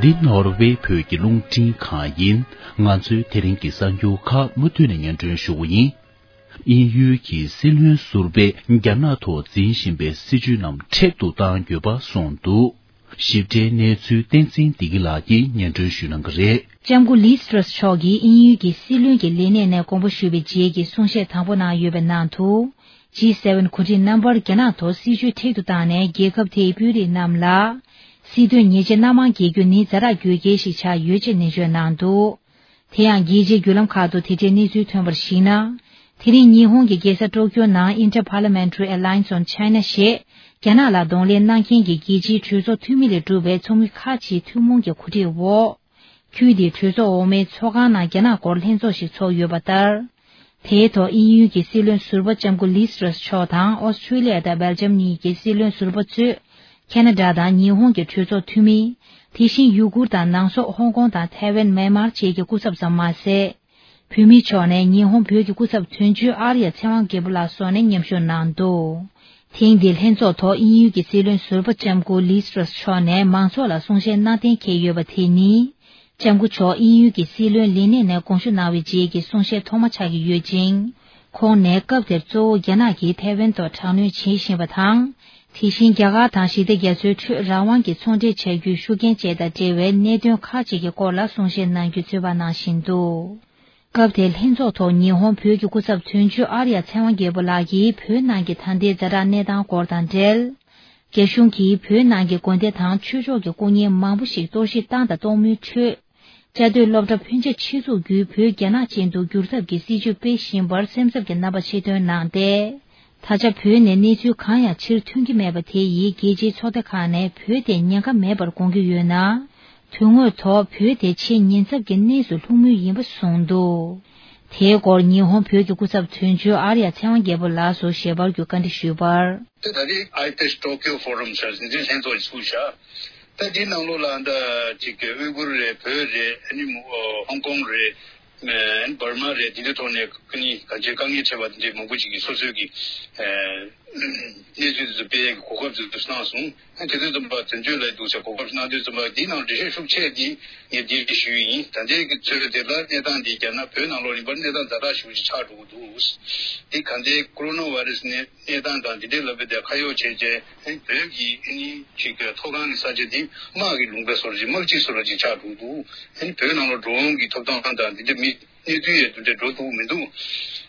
འདི་ནོར་ཝེ་བོད་ཀྱི་རླུང་འཕྲིན་ཁང་ཡིན། ང་ཚོའི་དེ་རིང་གི་གསར་འགྱུར་ཁག་མུ་མཐུད་ནས་སྙན་སྒྲོན་ཞུ་གི་ཡིན། དབྱིན་ཡུལ་གྱི་སྲིད་བློན་ཟུར་པས་རྒྱ་ནག་ཐོག་འཛིན་བཞིན་པའི་སྲིད་བྱུས་རྣམས་མཁྲེགས་སུ་གཏང་དགོས་པ་གསུངས་འདུག་ཞིབ་ཕྲའི་གནས་ཚུལ་བསྟན་འཛིན་བདེ་སྐྱིད་ལགས་ཀྱིས་སྙན་སྒྲོན་ཞུ་གནང་གི་རེད། ལྕམ་སྐུ་ལི་སི་ཏྲ་སི་མཆོག་གིས་དབྱིན་ཡུལ་གྱི་སྲིད་བློན་གྱི་ལས་གནས་ནས་དགོངས་པ་ཞུས་པའི་རྗེས་ཀྱི་གསུང་བཤད་དང་པོ་ནང་ཡོད་པའི་ནང་དུ། ཇི་སེ་ཝེན་གོ་སྒྲིག་རྣམ་པར་རྒྱ་ནག་ཐོག་སྲིད་བྱུས་མཁྲེགས་སུ་བཏང་ནས་རྒྱལ་ཁབ་དེའི་དཔོན་རིགས་རྣམས་ལ། སྲིད་དོན་ཉེས་ཆད་སྣ་མང་འགེལ་རྒྱུ་ནི་ཛ་དྲག་རྒྱུ་རྐྱེན་ཞིག་ཆགས་ཡོད་ཅེས་ནན་བརྗོད་གནང་འདུག་དེ་ཡང་རྒྱལ་སྤྱིའི་བརྒྱུད་ལམ་ཁག་ཏུ་དེ་འབྲེལ་གནས་ཚུལ་ཐོན་པར་གཞིགས་ན། དེ་རིང་ཉི་ཧོང་གི་རྒྱལ་ས་ཀྲོ་ཀྱོ་ནང་Inter-Parliamentary Alliance on China ཞེས་རྒྱ་ནག་ལ་གདོང་ལེན་གནང་མཁན་གྱི་རྒྱལ་སྤྱིའི་གྲོས་ཚོགས་འཐུས་མི་ལས་གྲུབ་པའི་ཚོགས་མི་ཁག་ཅིག་ཐུན་མོང་གི་གོ་སྒྲིག་འོག་ཁུལ་དེའི་གྲོས་ཚོགས་འོག་མའི་ཚོགས་ཁང་ནང་རྒྱ་ནག་སྐོར་ལྷན་ཚོགས་ཤིག་ཚོགས་ཡོད་པ་ལྟར། དེའི་ཐོག་དབྱིན་ཡུལ་གྱི་སྲིད་བློན་ཟུར་པ་ལྕམ་སྐུ་ལི་སི་ཏྲ་སི་མཆོག་དང་ཨོ་སི་ཁྲུ་ལི་ཡ་དང་སྦེལ་ཇམ་གཉིས་ཀྱི་སྲིད་བློན་ཟུར་པ་གཙོས། ཁེ་ན་ཌ་དང་ཉི་ཧོང་གི་གྲོས་ཚོགས་འཐུས་མི། དེ་བཞིན་ཡུ་གུར་དང་ནང་སོག་ཧོང་ཀོང་དང་ཐའེ་ཝན། མེན་མར་བཅས་ཀྱི་སྐུ་ཚབ་ཙམ་མ་ཟད། བོད་མིའི་ཕྱོགས་ནས་ཉི་ཧོང་བོད་ཀྱི་སྐུ་ཚབ་དོན་གཅོད་ཨར་ཡ་ཚེ་དབང་རྒྱལ་པོ་ལགས་སོགས་ནས་མཉམ་ཞུགས་གནང་འདུག་ཐེངས་འདིའི་ལྷན་ཚོགས་ཐོག་དབྱིན་ཡུལ་གྱི་སྲིད་བློན་ཟུར་པ་ལྕམ་སྐུ་ལི་སི་ཏྲ་སི་མཆོག་ནས་མང་ཚོགས་ལ་གསུང་བཤད་གནང་གཏན་འཁེལ་ཡོད་པ་དེ་ནི། ལྕམ་སྐུ་མཆོག་དབྱིན་ཡུལ་གྱི་སྲིད་བློན་ལས་གནས་ནས་དགོངས་ཞུ་གནང་བའི་རྗེས་ཀྱི་གསུང་བཤད་ཐོག་མ་ཆགས་ཀྱི་ཡོད་ཅིང་། ཁོང་ནས་སྐབས་དེར་གཙོ་བོ་རྒྱ་ནག་གིས་ཐའེ་ཝན་ཐོག་དྲག་གནོན་བྱེད་བཞིན་པ་དང་། དེ་བཞིན་རྒྱ་གར་དང་ཞི་བདེ་རྒྱ་མཚོའི་ཁྲོད་རང་དབང་གིས་ཚོང་འབྲེལ་བྱ་རྒྱུའི་ཤུགས་རྐྱེན་བཅས་དང་འབྲེལ་བའི་གནད་དོན་ཁག་ཅིག་གི་སྐོར་ལ་གསུང་བཤད་གནང་རྒྱུའི་ཚོད་དཔག་གནང་བཞིན་འདུག་སྐབས་དེའི་ལྷན་ཚོགས་ཐོག་ཉི་ཧོང་བོད་ཀྱི་སྐུ་ཚབ་དོན་གཅོད་ཨར་ཡ་ཚེ་དབང་རྒྱལ་པོ་ལགས་ཀྱིས་བོད་ནང་གི་ད་ལྟའི་ཛ་དྲག་གནས་སྟངས་སྐོར་དང་འབྲེལ། རྒྱ་གཞུང་གིས་བོད་ནང་གི་དགོན་སྡེ་དང་ཆོས་ཕྱོགས་ཀྱི་སྐུ་བརྙན་མང་པོ་ཞིག་གཏོར་བཤིག་བཏང་དང་གཏོང་མུས་ཁྲོད། བཅའ་སྡོད་སློབ་གྲྭ་ཕོན་ཆེ་ཆེད་འཛུགས་བརྒྱུད་བོད་རྒྱ་ནག་ཅན་དུ་བསྒྱུར་ཐབས་ཀྱི་སྲིད་བྱུས་སྤེལ་བཞིན་པར་སེམས་འཚབ་ཀྱི་རྣམ་པ་ཆེ་བཏོན་གནང་སྟེ། ད་ཆ་བོད་ནས་གནས་ཚུལ་གང་ཡང་ཕྱིར་ཐོན་གྱི་མེད་པ་དེ་ཡིས་རྒྱལ་སྤྱིའི་ཚོགས་སྡེ་ཁག་ནས་བོད་དེ་ཉེན་ཁ་མེད་པར་དགོངས་ཀྱི་ཡོད་ན། དོན་དངོས་ཐོག་བོད་དེ་ཆེས་ཉེན་ཚབས་ཀྱི་གནས་སུ་ལྷུང་མུས་ཡིན་པ་གསུངས་འདུག་དེའི་སྐོར་ཉི་ཧོང་བོད་ཀྱི་སྐུ་ཚབ་དོན་གཅོད་ཨར་ཡ་ཚེ་དབང་རྒྱལ་པོ་ལགས་སུ་ཞལ་པར་བརྒྱུད་བཀའ་འདྲི་ཞུས་པར། ད་ད་རེས་ཨའི་པེག་སི་ཊོ་ཀིའོ་ཕོ་རམ་ཟེར་འཛིན་ལྷན་ཚོགས་ཚུགས་བཞག་ད་འདིའི་ནང་ལོགས་ལ་ད་ཅིག་ཨུ་གུར་རེད། བོད་རེད། ཨ་ནི་མོ་ཧོང་ཀོང་རེད། ཨ་ནི་འབར་མ་རེད། འདི་འདྲའི་ཐོག་ནས་ཨ་ནི་གང་ཅིའི་དཀའ་ངལ་འཕྲད་པ་འདི་འདྲའི་མང་པོ་ཅིག་གིས་སོ་སོའི་གི་གནས་ཚུལ་དེ་ཚོ་སྤེལ་ཡས་ཀྱི་གོ་སྐབས་དེ་ཚོ་གནང་སོང་། ཨ་ནི་དེ་དུས་ཙམ་པ་དོན་གཅོད་ལ་འདུག་ཟེར་གོ་སྐབས་གནང་དུས་ཙམ་པ་འདིའི་ནང་འགྲེལ་བཤད་ཤུགས་ཆེ་འདི་ངས་འདི་ཞུས་ཡིན། ད་ལྟའི་གི་ཚོད་དེ་ལ་གནས་སྟངས་འདི་རྒྱ་ནག་བོད་ནང་ལོགས་ཡིན་པར་གནས་སྟངས་ཛ་དྲག་ཞེ་པོ་ཅིག་ཆགས་འགྲོ་གི་འདུག་འདི་ག་འདྲའི་ཀོ་རོ་ན་བྷ་རེ་སི་ནས་གནས་སྟངས་དང་འདི་འདྲའི་ལབ་པའི་དེ་ཁ་གཡོག་བྱས་རྗེས་ཨ་ནི་བོད་ཀྱི་ཨ་ནི་ཅིག་གི་མཐོ་སྒང་གི་ས་ཆ་འདི་དམག་གི་ལུང་པའི་བཟོ་འདྲ་ཅིག་དམག་སྤྱི་བཟོ་འདྲ་ཅིག་ཆགས་འགྲོ་གི་འདུག་ཨ་ནི་བོད་ནང་ལོགས་འགྲོ་འོང་གི་ཐོབ་ཐང་དང་འདི་འདྲ་མི་གནས་ཚུལ་ཡང་དེ་འདྲ་འགྲོ་ཐུབ་མི་འདུག་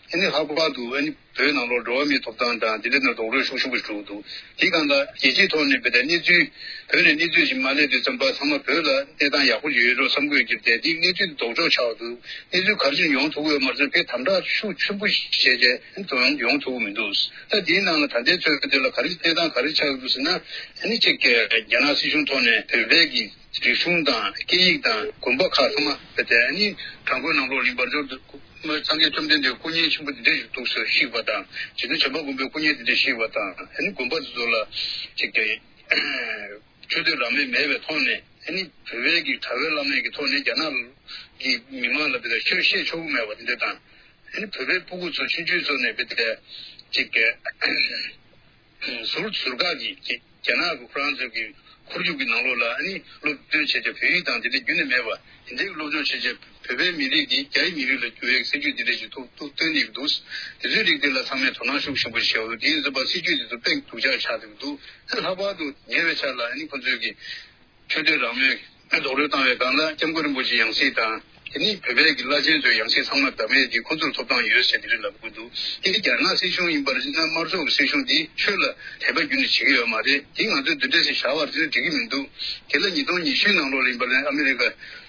ཨ་ནི་ལྷག་པར་དུ་ཨ་ནི་བོད་ནང་ལོགས་འགྲོ་བ་མིའི་ཐོབ་ཐང་དང་དེ་འདྲ་ནང་རྡོག་རོལ་ཤུགས་ཆེན་པོ་ཞིག་འགྲོ་གི་འདུག་དེའི་སྒང་ལ་རྒྱལ་སྤྱིའི་ཐོག་ནས་བོད་དང་གནས་ཚུལ་བོད་ནས་གནས་ཚུལ་ཞིག་མ་སླེབས་དུས་ཙམ་པ་ཚང་མ་བོད་ལ་གནས་སྟངས་ཡག་པོ་ཡོད་འགྲོ་བསམ་གྱི་ཡོད་ཀྱི་རེད་དེ། འདི་གནས་ཚུལ་དེ་ལྡོག་ཕྱོགས་ཆགས་འདུག་གནས་ཚུལ་ག་རེ་ཞིག་ཡོང་ཐུབ་ཀྱི་ཡོད་མ་རེད་ཟེར་ན་དཔེ་དམ་དྲག་ཤུགས་ཆེན་པོ་ཞིག་བྱས་རྗེས་ཡོང་ཐུབ་ཀྱི་མི་འདུག་ད་དེའི་ནང་ལ་ད་ལྟའི་ཚོད་དེ་ལ་ག་རེ་གནས་སྟངས་ག་རེ་ཆགས་འདུག་ཟེར་ན། ཨ་ནི་གཅིག་གི་རྒྱ་ནག་སྲིད་གཞུང་ཐོག་ནས་བོད་པའི་གི་རིག་གཞུང་དང་སྐད་ཡིག་དང་དགོན་པ་ཁག་ཚང་མ་བོད་དེ་ཨ་ནི་བྲག་བརྐོས་ནང་ལོགས་ཡིན་པར་འགྱུར་འདུག་སངས་རྒྱས་བཅོམ་ལྡན་འདས་སྐུ་བརྙན་ཆེན་པོ་འདི་འདྲ་ཞིག་འདུག་ཟེར་བཤིག་པ་དང་། རྗེ་བཙུན་བྱམས་པ་མགོན་པོའི་སྐུ་བརྙན་འདི་འདྲ་བཤིག་པ་དང་། ཨ་ནི་དགོན་པ་འདི་ཚོ་ལ་གཅིག་གི་ཆོས་དད་རང་མོས་མེད་པའི་ཐོག་ནས་ཨ་ནི་བོད་པའི་གི་གྲྭ་པ་བླ་མའི་གི་ཐོག་ནས་རྒྱ་ནག་གི་མི་མང་ལ་དེ་ལ་ཆོས་བཤད་ཆོག་གི་མེད་པ་དེ་འདྲ་དང་། ཨ་ནི་བོད་པའི་སྤུ་གུ་ཚོ་ཆུང་ཆུང་ཚོ་ནས་བོད་དེ་གཅིག་གི་ཟུར་ཟུར་བཀག་གིས་རྒྱ་ནག་གི་ཁོ་རང་ཚོ་གི་ཁོར་ཡུག་གི་ནང་ལོགས་ལ་ཨ་ནི་སློབ་སྟོན་བྱས་ཏེ་བོད་ཡིག་དང་དེ་འདྲ་རྒྱུན་ནས་མེད་པ་དེ་འདྲའི་སློབ་སྦྱོང་བྱས་རྗེས་བོད་པའི་མི་རིགས་འདི་རྒྱའི་མི་རིགས་ལ་བསྒྱུར་བའི་སྲིད་ཇུས་འདི་འདྲ་ཞིག་ཐུགས་ཐུགས་བཏོན་གནང་གི་འདུག་དེ་ཚོའི་རིགས་དེ་ལ་ཚང་མས་དོ་སྣང་ཤུགས་ཆེན་པོ་བྱས་འདུག་དེ་ཡིན་ཙམ་པ་སྲིད་ཇུས་དེ་ཚོ་དཔེ་སྡུག་ཅག་ཆགས་བསྡད་ཀྱི་འདུག་ད་ལྷག་པར་དུ་ཉེ་བའི་ཆར་ལ་ཨ་ནི་ཁོ་ཚོས་ཀྱི་ཆོས་དད་རང་མོས་རྡོག་རོལ་བཏང་བའི་སྒང་ལ་སྐྱབས་མགོན་རིན་པོ་ཆེའི་ཡང་སྲིད་དང་། དེ་ནི་བོད་པའི་གི་བླ་ཆེན་ཚོའི་ཡང་སྲིད་ཚང་མ་བདམས་ཡས་དེ་ཁོ་ཚོར་ཐོབ་ཐང་ཡོད་ཟེར་དེ་རིགས་ལབ་ཀྱི་འདུག་དེ་རྒྱ་ནག་སྲིད་གཞུང་ཡིན་པར་བྱས་ན་དམར་ཤོག་གི་སྲིད་གཞུང་འདིས་ཆོས་ལ་དད་པ་རྒྱུན་ནས་བྱེད་ཀྱི་ཡོད་མ་རེད། དེ་ང་ཚོས་འདི་འདྲ་ཞིག་བཞག་པར་བྱས་ན་འགྲིག་གི་མི་འདུག་དེ་ལ་ཉིས་སྟོང་ཉི་ཤུའི་ནང་ལོགས་ལ་ཡིན་པ་ལས་ཨ་མི་རི་ཀ་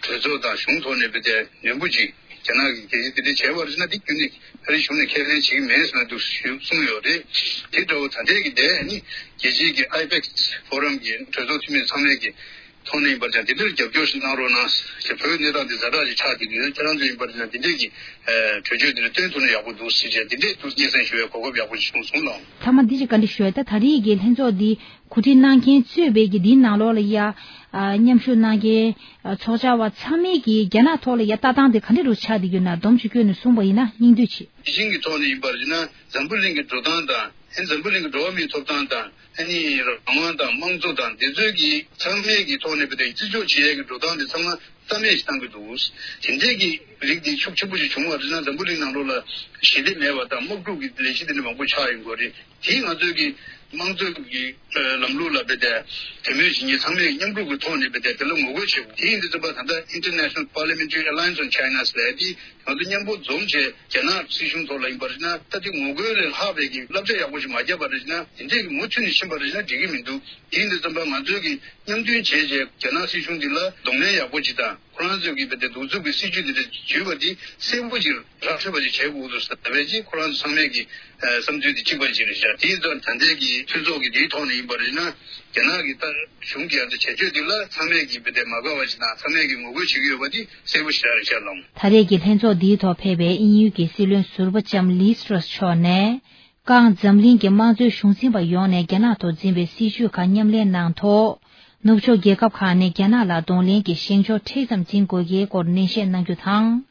གྲོས་ཚོགས་དང་གཞུང་ཐོག་ནས་བོད་དེ་ནན་པོ་ཅིག་རྒྱ་ནག་གི་རྒྱལ་སྤྱི་འདི་འདྲ་བྱས་པར་བྱས་ན་འདི་རྒྱུན་ནས་ཨ་རིའི་གཞུང་ནས་ཁས་ལེན་བྱེད་ཀྱི་མེད་ཟེར་ན་འདུག་ཞུ་གསུངས་ཡོད་རེད། དེ་འདྲ་བོ་ད་ལྟའི་གི་དེ་ནི་རྒྱལ་སྤྱིའི་གི་ཨའི་པེག་སི་ཕོ་རམ་གི་གྲོས་ཚོགས་འཐུས་མི་ཚང་མས་གི་ཐོག་ནས་ཡིན་པར་ཀྱང་འདི་འདྲར་རྒྱབ་སྐྱོར་ཞིག་གནང་རོགས་གནང་ཞེས། བོད་གནས་སྟངས་འདི་ཛ་དྲག་ཅིག་ཆགས་བསྡད་ཀྱི་ཡོད། ཁྱེད་རང་ཚོ་ཡིན་པར་ཀྱང་འདི་འདྲས་ཀྱི་གྲོས་ཆོད་འདི་འདྲ་བཏོན་ཐུབ་ན་ཡག་པོ་འདུག་ཟེར་བྱས་འདི་འདྲས་འདུག་སྙན་སེང་ཞུ་བའི་གོ་སྐབས་ཡག་པོ་ཞིག་བྱུང་སོང་ལགས། མཐའ་མ་འདི་ཅིག་བཀའ་འདྲི་ཞུ་ཡ། ད་ད་རེས་ཀྱི་ལྷན་ཚོགས་འདི་གོ་སྒྲིག་གནང་མཁན་གཙོས་པའི་གི་འདིའི་ནང་ལོགས་ལ་ཡ་མཉམ་ཞུགས་གནང་མཁན་ཚོགས་བཅར་བ་ཚང་མས་ཀྱི་རྒྱ་ནག་ཐོག་ལ་ཡ་ལྟ་སྟངས་དེ་ག་འདྲ་རུ་ཆགས་བསྡད་ཀྱི་ཡོད་ན་སྡོམ་ཅིག་བསྐྱོན་ནས་གསུངས་པ་ཡིན་ན་སྙིང་བསྡུས་བྱེད། ཞིང་གི་ཐོག་ནས་ཡིན་པར་བྱས་ན་འཛམ་བུ་གླིང་གི་འགྲོ་སྟངས་དང་། ཨ་ནི་འཛམ་བུ་གླིང་གི་འགྲོ་བ་མིའི་ཐོབ་ཐང་དང་། ཨ་ནི་རང་དབང་དང་དམངས་གཙོ་དང་འདི་ཚོའི་གི་ཚང་མའི་གི་ཐོག་ནས་བོད་དེ་བརྩི་འཇོག་བྱེད་ཡས་ཀྱི་འགྲོ་སྟངས་དེ་ཚང་མ་རྩ་མེད་ཞིག་བཏང་གི་འདུག་དེ་འདྲའི་གི་རིགས་དེ་ཤུགས་ཆེན་པོ་ཞིག་བྱུང་བ་རེད་ན་འཛམ་བུ་གླིང་ནང་ལོགས་ལ་ཞི་བདེ་མེད་པ་དང་དམག་འཁྲུག་གི་ལས་གཞི་དེ་འདྲ་མང་པོ་ཆགས་ཡོང་གི་རེད། དེས་ང་ཚོའི་གི་དམངས་གཙོའི་གི་ལམ་ལུགས་ལ་བོད་དེ་དད་མོས་བྱེད་མཁན་ཚང་མས་མཉམ་རུབ་ཀྱི་ཐོག་ནས་བོད་དེ་དེ་ལ་ངོ་རྒོལ་བྱེད་དགོས། དེ་ཡིན་དུས་ཙམ་པ་ད་ལྟ་International Parliamentary Alliance on China ཟེར་ཡ་དེ་ང་ཚོ་མཉམ་པོ་འཛོམས་བྱས་རྒྱ་ནག་སྲིད་གཞུང་ཐོག་ལ་ཡིན་པར་བྱས་ན་ད་དེ་ངོ་རྒོལ་ལས་ལྷག་པའི་གི་བསླབ་བྱ་ཡག་པོ་ཞིག་མ་བརྒྱབ་པ་རེད་ན་དེ་འདྲའི་གི་མུ་མཐུད་ནས་ཕྱིན་པ་རེད་ན་འགྲིག་གི་མི་འདུག་དེ་ཡིན་དུས་ཙམ་པ་ང་ཚོས་གི་མཉམ་མཐུན་བྱས་བྱས་རྒྱ་ནག་སྲིད་གཞུང་འདི་ལ་གདོང་ལེན་ཡག་པོ་ཅིག་དང་ཁོ་རང་ཚོས་གི་བོད་དེ་གདུག་རྩུབ་ཀྱི་སྲིད་ཇུས་འདི་འདྲ་བརྒྱུད་པ་འདི་གསལ་པོ་ཅིག་ར་འཕྲོད་པ་ཅིག་བྱེད་དགོས་འདུག་ཟེར་བས་ཅིག་ཁོ་རང་ཚོ་ཚང་མས་གི་བསམ་ཚུལ་འདི་གཅིག་པ་ཅིག་རེད་ཤག་དེ་ཡིན་ཙང་ད་ལྟའི་གི་མཐུན་ཚོགས་ཀྱི་འདིའི་ཐོག་ནས་ཡིན་པ་རེད་ན་རྒྱ་ནག་གི་ད་གཞུང་གི་ཨ་ད་བྱེད་སྤྱོད་འདི་ལ་ཚང་མས་གི་བོད་དེ་མ་དགའ་བ་ཅིག་དང་ཚང་མས་གི་ངོ་རྒོལ་བྱེད་ཀྱི་ཡོད་པ་འདི་གསལ་པོ་ཞེ་དྲག་རེད་ཤག་ལགས། ད་རེས་ཀྱི་ལྷན་ཚོགས་འདིའི་ཐོག་ཕེབས་པའི་དབྱིན་ཡུལ་གྱི་སྲིད་བློན་ཟུར་པ་ལྕམ་ལིས་ཊྲས་མཆོག་ནས། ཀང་འཛམ་གླིང་གི་དམངས་གཙོའི་གཞུང་འཛིན་པ་ཡོངས་ནས་རྒྱ་ནག་ཐོག་འཛིན་པའི་སྲིད་བྱུས་ཁག་མཉམ་ལེན་གནང་ཐོག་ནུབ་ཕྱོགས་རྒྱལ་ཁབ་ཁག་ནས་རྒྱ་ནག་ལ་གདོང་ལེན་གྱི་བཞེངས་ཕྱོགས་མཁྲེགས་ཙམ་འཛིན་དགོས་ཀྱི་སྐོར་ནན་བཤད་གནང་རྒྱུ་དང་།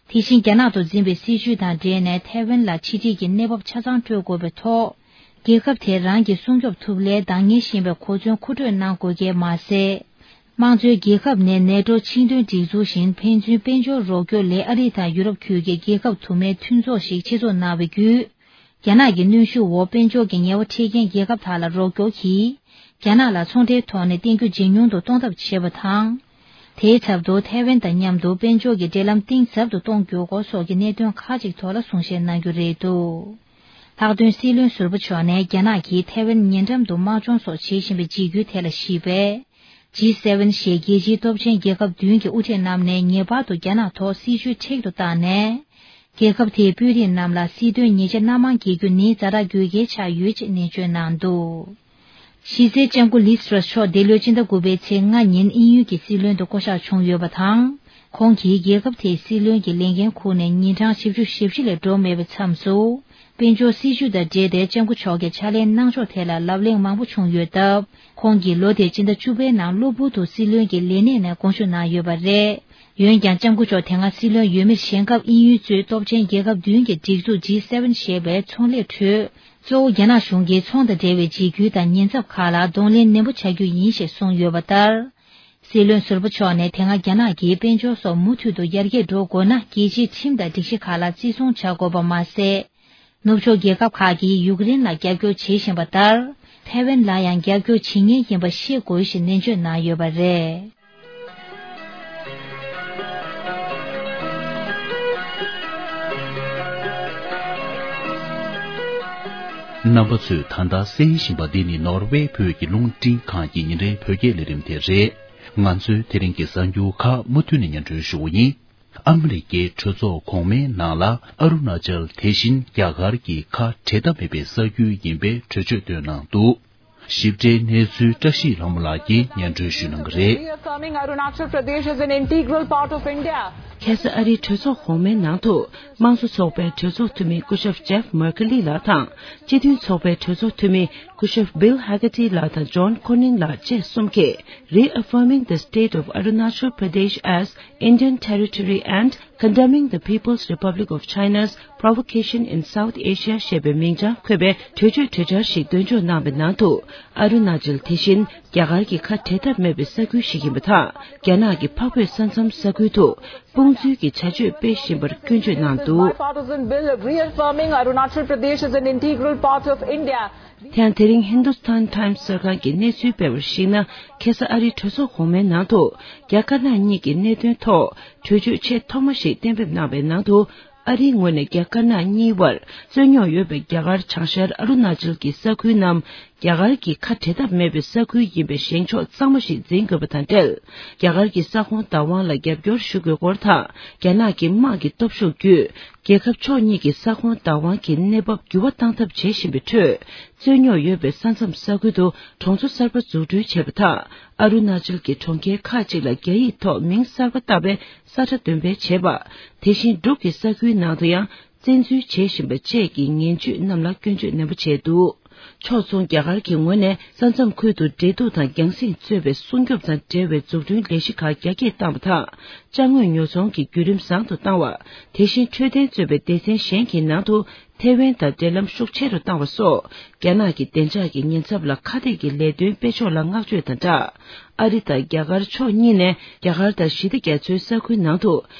དེ་བཞིན་རྒྱ་ནག་ཐོག་འཛིན་པའི་སྲིད་བྱུས་དང་འབྲེལ་ནས་ཐའེ་ཝན་ལ་ཕྱི་འབྲེལ་གྱི་གནས་བབ་ཆ་ཚང་སྤྲོད་དགོས་པའི་ཐོག་རྒྱལ་ཁབ་དེ་རང་གིས་སྲུང་སྐྱོབ་ཐུབ་སླད་འདང་ངེས་ཤེས་པའི་གོ་མཚོན་མཁོ་སྤྲོད་གནང་དགོས་ཀྱི་མ་ཟད། དམངས་གཙོའི་རྒྱལ་ཁབ་ནས་ནེ་ཊོ་ཆིངས་དོན་སྒྲིག་འཛུགས་བཞིན་ཕན་ཚུན་དཔལ་འབྱོར་རོགས་སྐྱོར་ལས་ཨ་རི་དང་ཡུ་རོབ་ཁུལ་གྱི་རྒྱལ་ཁབ་དུ་མའི་མཐུན་ཚོགས་ཤིག་ཆེད་འཛུགས་གནང་བའི་བརྒྱུད། རྒྱ་ནག་གི་གནོན་ཤུགས་འོག་དཔལ་འབྱོར་གྱི་ཉེས་པ་འཕྲད་མཁན་རྒྱལ་ཁབ་དག་ལ་རོགས་སྐྱོར་གྱིས། རྒྱ་ནག་ལ་ཚོང་འབྲེལ་ཐོག་ནས་བརྟེན་རྒྱུ་ཇེ་ཉུང་དུ་གཏོང་ཐབས་བྱེད་པ་དང་། དེའི་ཚབ་ཏུ་ཐའེ་ཝན་དང་མཉམ་དུ་དཔལ་འབྱོར་གྱི་འབྲེལ་ལམ་གཏིང་ཟབ་ཏུ་གཏོང་དགོས་སྐོར་སོགས་ཀྱི་གནད་དོན་ཁག་ཅིག་ཐོག་ལ་གསུང་བཤད་གནང་རྒྱུ་རེད་འདུག་ལྷག་དོན་སྲིད་བློན་ཟུར་པ་མཆོག་ནས་རྒྱ་ནག་གིས་ཐའེ་ཝན་ཉེ་འགྲམ་དུ་དམག་སྦྱོང་སོགས་བྱེད་བཞིན་པའི་འཇིགས་སྐུལ་ཐད་ལ་ཞུས་པས། ཇི་སེ་ཝེན་ཞེས་རྒྱལ་སྤྱིའི་སྟོབས་ཆེན་རྒྱལ་ཁབ་བདུན་གྱི་དབུ་ཁྲིད་རྣམས་ནས་ངེས་པར་དུ་རྒྱ་ནག་ཐོག་སྲིད་ཇུས་མཁྲེགས་སུ་བཏང་ནས། རྒྱལ་ཁབ་དེའི་དཔོན་རིགས་རྣམས་ལ་སྲིད་དོན་ཉེས་ཆད་སྣ་མང་འགེལ་རྒྱུ་ནི་ཛ་དྲག་དགོས་གལ་ཆགས་ཡོད་ཅེས་ནན་བརྗོད་གནང་འདུག་གཞི་རྩའི་ལྕམ་སྐུ་ལིས་ཊྲ་སི་མཆོག་འདི་ལོའི་ཕྱི་ཟླ་དགུ་པའི་ཚེས་ལྔ་ཉིན་དབྱིན་ཡུལ་གྱི་སྲིད་བློན་དུ་བསྐོ་གཞག་བྱུང་ཡོད་པ་དང་། ཁོང་གིས་རྒྱལ་ཁབ་དེའི་སྲིད་བློན་གྱི་ལས་འགན་འཁུར་ནས་ཉིན་གྲངས་བཞི་བཅུ་ཞེ་བཞི་ལས་འགྲོ་མེད་པའི་མཚམས་སུ། དཔལ་འབྱོར་སྲིད་ཇུས་དང་འབྲེལ་ཏེ་ལྕམ་སྐུ་མཆོག་གིས་ཕྱག་ལས་གནང་ཕྱོགས་ཐད་ལ་ལབ་གླེང་མང་པོ་བྱུང་ཡོད་སྟབས། ཁོང་གིས་ལོ་དེའི་ཕྱི་ཟླ་བཅུ་པའི་ནང་གློ་བུར་དུ་སྲིད་བློན་གྱི་ལས་གནས་ནས་དགོངས་ཞུ་གནང་ཡོད་པ་རེད། འོན་ཀྱང་ལྕམ་སྐུ་མཆོག་དེ་སྔ་སྲིད་བློན་འོས་མིར་བཞེངས་སྐབས་དབྱིན་ཡུལ་གཙོས་སྟོབས་ཆེན་རྒྱལ་ཁབ་བདུན་གྱི་སྒྲིག་འཛུགས་ཇི་སེ་ཝེན་ཞེས་པའི་ཚོང་ལས་ཁྲོད། གཙོ་བོ་རྒྱ་ནག་གཞུང་གིས་ཚོང་དང་འབྲེལ་བའི་འཇིགས་སྐུལ་དང་ཉེན་ཚབས་ཁག་ལ་གདོང་ལེན་ནན་པོ་བྱ་རྒྱུ་ཡིན་ཞེས་གསུངས་ཡོད་པ་ལྟར། སྲིད་བློན་ཟུར་པ་མཆོག་ནས་དེ་སྔ་རྒྱ་ནག་གིས་དཔལ་འབྱོར་སོགས་མུ་མཐུད་དུ་ཡར་རྒྱས་འགྲོ་དགོས་ན་རྒྱལ་སྤྱིའི་ཁྲིམས་དང་སྒྲིག་གཞི་ཁག་ལ་བརྩི་སྲུང་བྱ་དགོས་པ་མ་ཟད། ནུབ་ཕྱོགས་རྒྱལ་ཁབ་ཁག་གིས་ཡུཀ་རེན་ལ་རྒྱབ་སྐྱོར་བྱེད་བཞིན་པ་ལྟར། ཐའེ་ཝན་ལ་ཡང་རྒྱབ་སྐྱོར་བྱེད་ངེས་ཡིན་པ་ཤེས་དགོས་ཞེས་ནན་བརྗོད་གནང་ཡོད་པ་རེད། རྣམ་པ་ཚོས་ད་ལྟ་གསན་བཞིན་པ་འདི་ནི་ནོར་ཝེ་བོད་ཀྱི་རླུང་འཕྲིན་ཁང་གི་ཉིན་རེའི་བོད་སྐད་ལས་རིམ་དེ་རེད། ང་ཚོའི་དེ་རིང་གི་གསར་འགྱུར་ཁག་མུ་མཐུད་ནས་སྙན་སྒྲོན་ཞུ་གི་ཡིན། ཨ་མི་རི་ཀའི་གྲོས་ཚོགས་གོང་མའི་ནང་ལ་ཨ་རུ་ན་ཅལ་དེ་བཞིན་རྒྱ་གར་གྱི་ཁ་བྲལ་ཐབས་མེད་པའི་ས་ཁུལ་ཡིན་པའི་གྲོས་ཆོད་བཏོན་གནང་འདུག་ཞིབ་ཕྲའི་གནས་ཚུལ་བཀྲ་ཤིས་ལྷ་མོ་ལགས་ཀྱིས་སྙན་སྒྲོན་ཞུ་གནང་གི་རེད། Reaffirming Arunachal Pradesh as an integral part of India. ཁ་སང་ཨ་རིའི་གྲོས་ཚོགས་གོང་མའི་ནང་དུ་དམངས་གཙོ་ཚོགས་པའི་གྲོས་ཚོགས་འཐུས་མི་སྐུ་ཞབས་ཇེབ་མར་ཁེ་ལི་ལགས་དང་སྤྱི་མཐུན་ཚོགས་པའི་གྲོས་ཚོགས་འཐུས་མི་སྐུ་ཞབས་བིལ་ཧ་གེ་ཏི་ལགས་དང་ཇོན་ཁོ་ནིན་ལགས་བཅས་གསུམ་གྱིས། Reaffirming the state of Arunachal Pradesh as Indian territory and condemning the People's Republic of China's provocation in South Asia ཞེས་པའི་མིང་བྱང་འཁོད་པའི་གྲོས་ཆོད་གྲོས་འཆར་ཞིག་འདོན་འཇོག་གནང་བའི་ནང་དུ། ཨ་རུ་ན་ཅལ་དེ་བཞིན་རྒྱ་གར་གྱི་ཁ་བྲལ་ཐབས་མེད་པའི་ས་ཁུལ་ཞིག་ཡིན་པ་དང་། རྒྱ་ནག་གི་འཕགས་བོད་ས་མཚམས་ས་ཁུལ་དུ་དཔུང་འཛུལ་གྱི་བྱ་སྤྱོད་སྤེལ་བཞིན་པར་སྐྱོན་བརྗོད་གནང་འདུག Bipartisan bill reaffirming Arunachal Pradesh as an integral part of India. དེ་ཡང་དེ་རིང་Hindustan Times གསར་ཁང་གིས་གནས་ཚུལ་སྤེལ་བར་གཞིགས་ན། ཁ་སང་ཨ་རིའི་གྲོས་ཚོགས་གོང་མའི་ནང་དུ་རྒྱ་དཀར་ནག་གཉིས་ཀྱི་གནད་དོན་ཐོག་གྲོས་ཆོད་ཆེས་ཐོག་མ་ཞིག་གཏན་འབེབས་གནང་བའི་ནང་དུ། ཨ་རིའི་ངོས་ནས་རྒྱ་དཀར་ནག་གཉིས་བར་རྩོད་རྙོག་ཡོད་པའི་རྒྱ་གར་བྱང་ཤར་ཨ་རུ་ན་ཅལ་གྱི་ས་ཁུལ་རྣམས་རྒྱ་གར་གྱི་ཁ་བྲལ་ཐབས་མེད་པའི་ས་ཁུལ་ཡིན་པའི་བཞེངས་ཕྱོགས་གཙང་མ་ཞིག་འཛིན་དགོས་པ་དང་འབྲེལ། རྒྱ་གར་གྱི་ས་ཁོངས་བདག་དབང་ལ་རྒྱབ་སྐྱོར་ཞུ་དགོས་སྐོར་དང་། རྒྱ་ནག་གི་དམག་གི་སྟོབས་ཤུགས་བརྒྱུད། རྒྱལ་ཁབ་ཕྱོགས་གཉིས་ཀྱི་ས་ཁོངས་བདག་དབང་གི་གནས་བབ་འགྱུར་བ་གཏང་ཐབས་བྱེད་བཞིན་པའི་ཁྲོད། རྩོད་རྙོག་ཡོད་པའི་ས་མཚམས་ས་ཁུལ་དུ་གྲོང་ཚོ་གསར་པ་འཛུགས་སྐྲུན་བྱས་པ་དང་། ཨ་རུ་ན་ཅལ་གྱི་གྲོང་ཁྱེར་ཁག་ཅིག་ལ་རྒྱ་ཡིག་ཐོག་མིང་གསར་པ་བཏགས་པའི་ས་ཁྲ་འདོན་སྤེལ་བྱས་པ། དེ་བཞིན་འབྲུག་གི་ས་ཁུལ་ནང་དུ་ཡང་བཙན་འཛུལ་བྱེད་བཞིན་པ་བཅས་ཀྱི་ངན་ཇུས་རྣམས་ལ་སྐྱོན་བརྗོད་ནན་པོ་བྱས་འདུག་ཕྱོགས་མཚུངས་རྒྱ་གར་གྱི་ངོས་ནས་ས་མཚམས་ཁུལ་དུ་འབྲེལ་གཏུག་དང་རྒྱང་སྲིང་གཙོས་པའི་སྲུང་སྐྱོབ་དང་འབྲེལ་བའི་འཛུགས་སྐྲུན་ལས་གཞི་ཁག་རྒྱ་སྐྱེད་བཏང་བ་དང་། ཅ་དངོས་ཉོ་ཚོང་གི་བརྒྱུད་རིམ་བཟང་དུ་བཏང་བ། དེ་བཞིན་འཕྲོད་བསྟེན་གཙོས་པའི་སྡེ་ཚན་གཞན་གྱི་ནང་དུ་ཐའེ་ཝན་དང་འབྲེལ་ལམ་ཤུགས་ཆེ་རུ་བཏང་བ་སོགས། རྒྱ་ནག་གི་བདེ་འཇགས་ཀྱི་ཉེན་ཚབས་ལ་ཁ་གཏད་ཀྱི་ལས་དོན་སྤེལ་ཕྱོགས་ལ་བསྔགས་བརྗོད་དང་སྦྲགས། ཨ་རི་དང་རྒྱ་གར་ཕྱོགས་གཉིས་ནས་རྒྱ་གར་དང་ཞི་བདེ་རྒྱ་མཚོའི་ས་ཁུལ་ནང་དུ་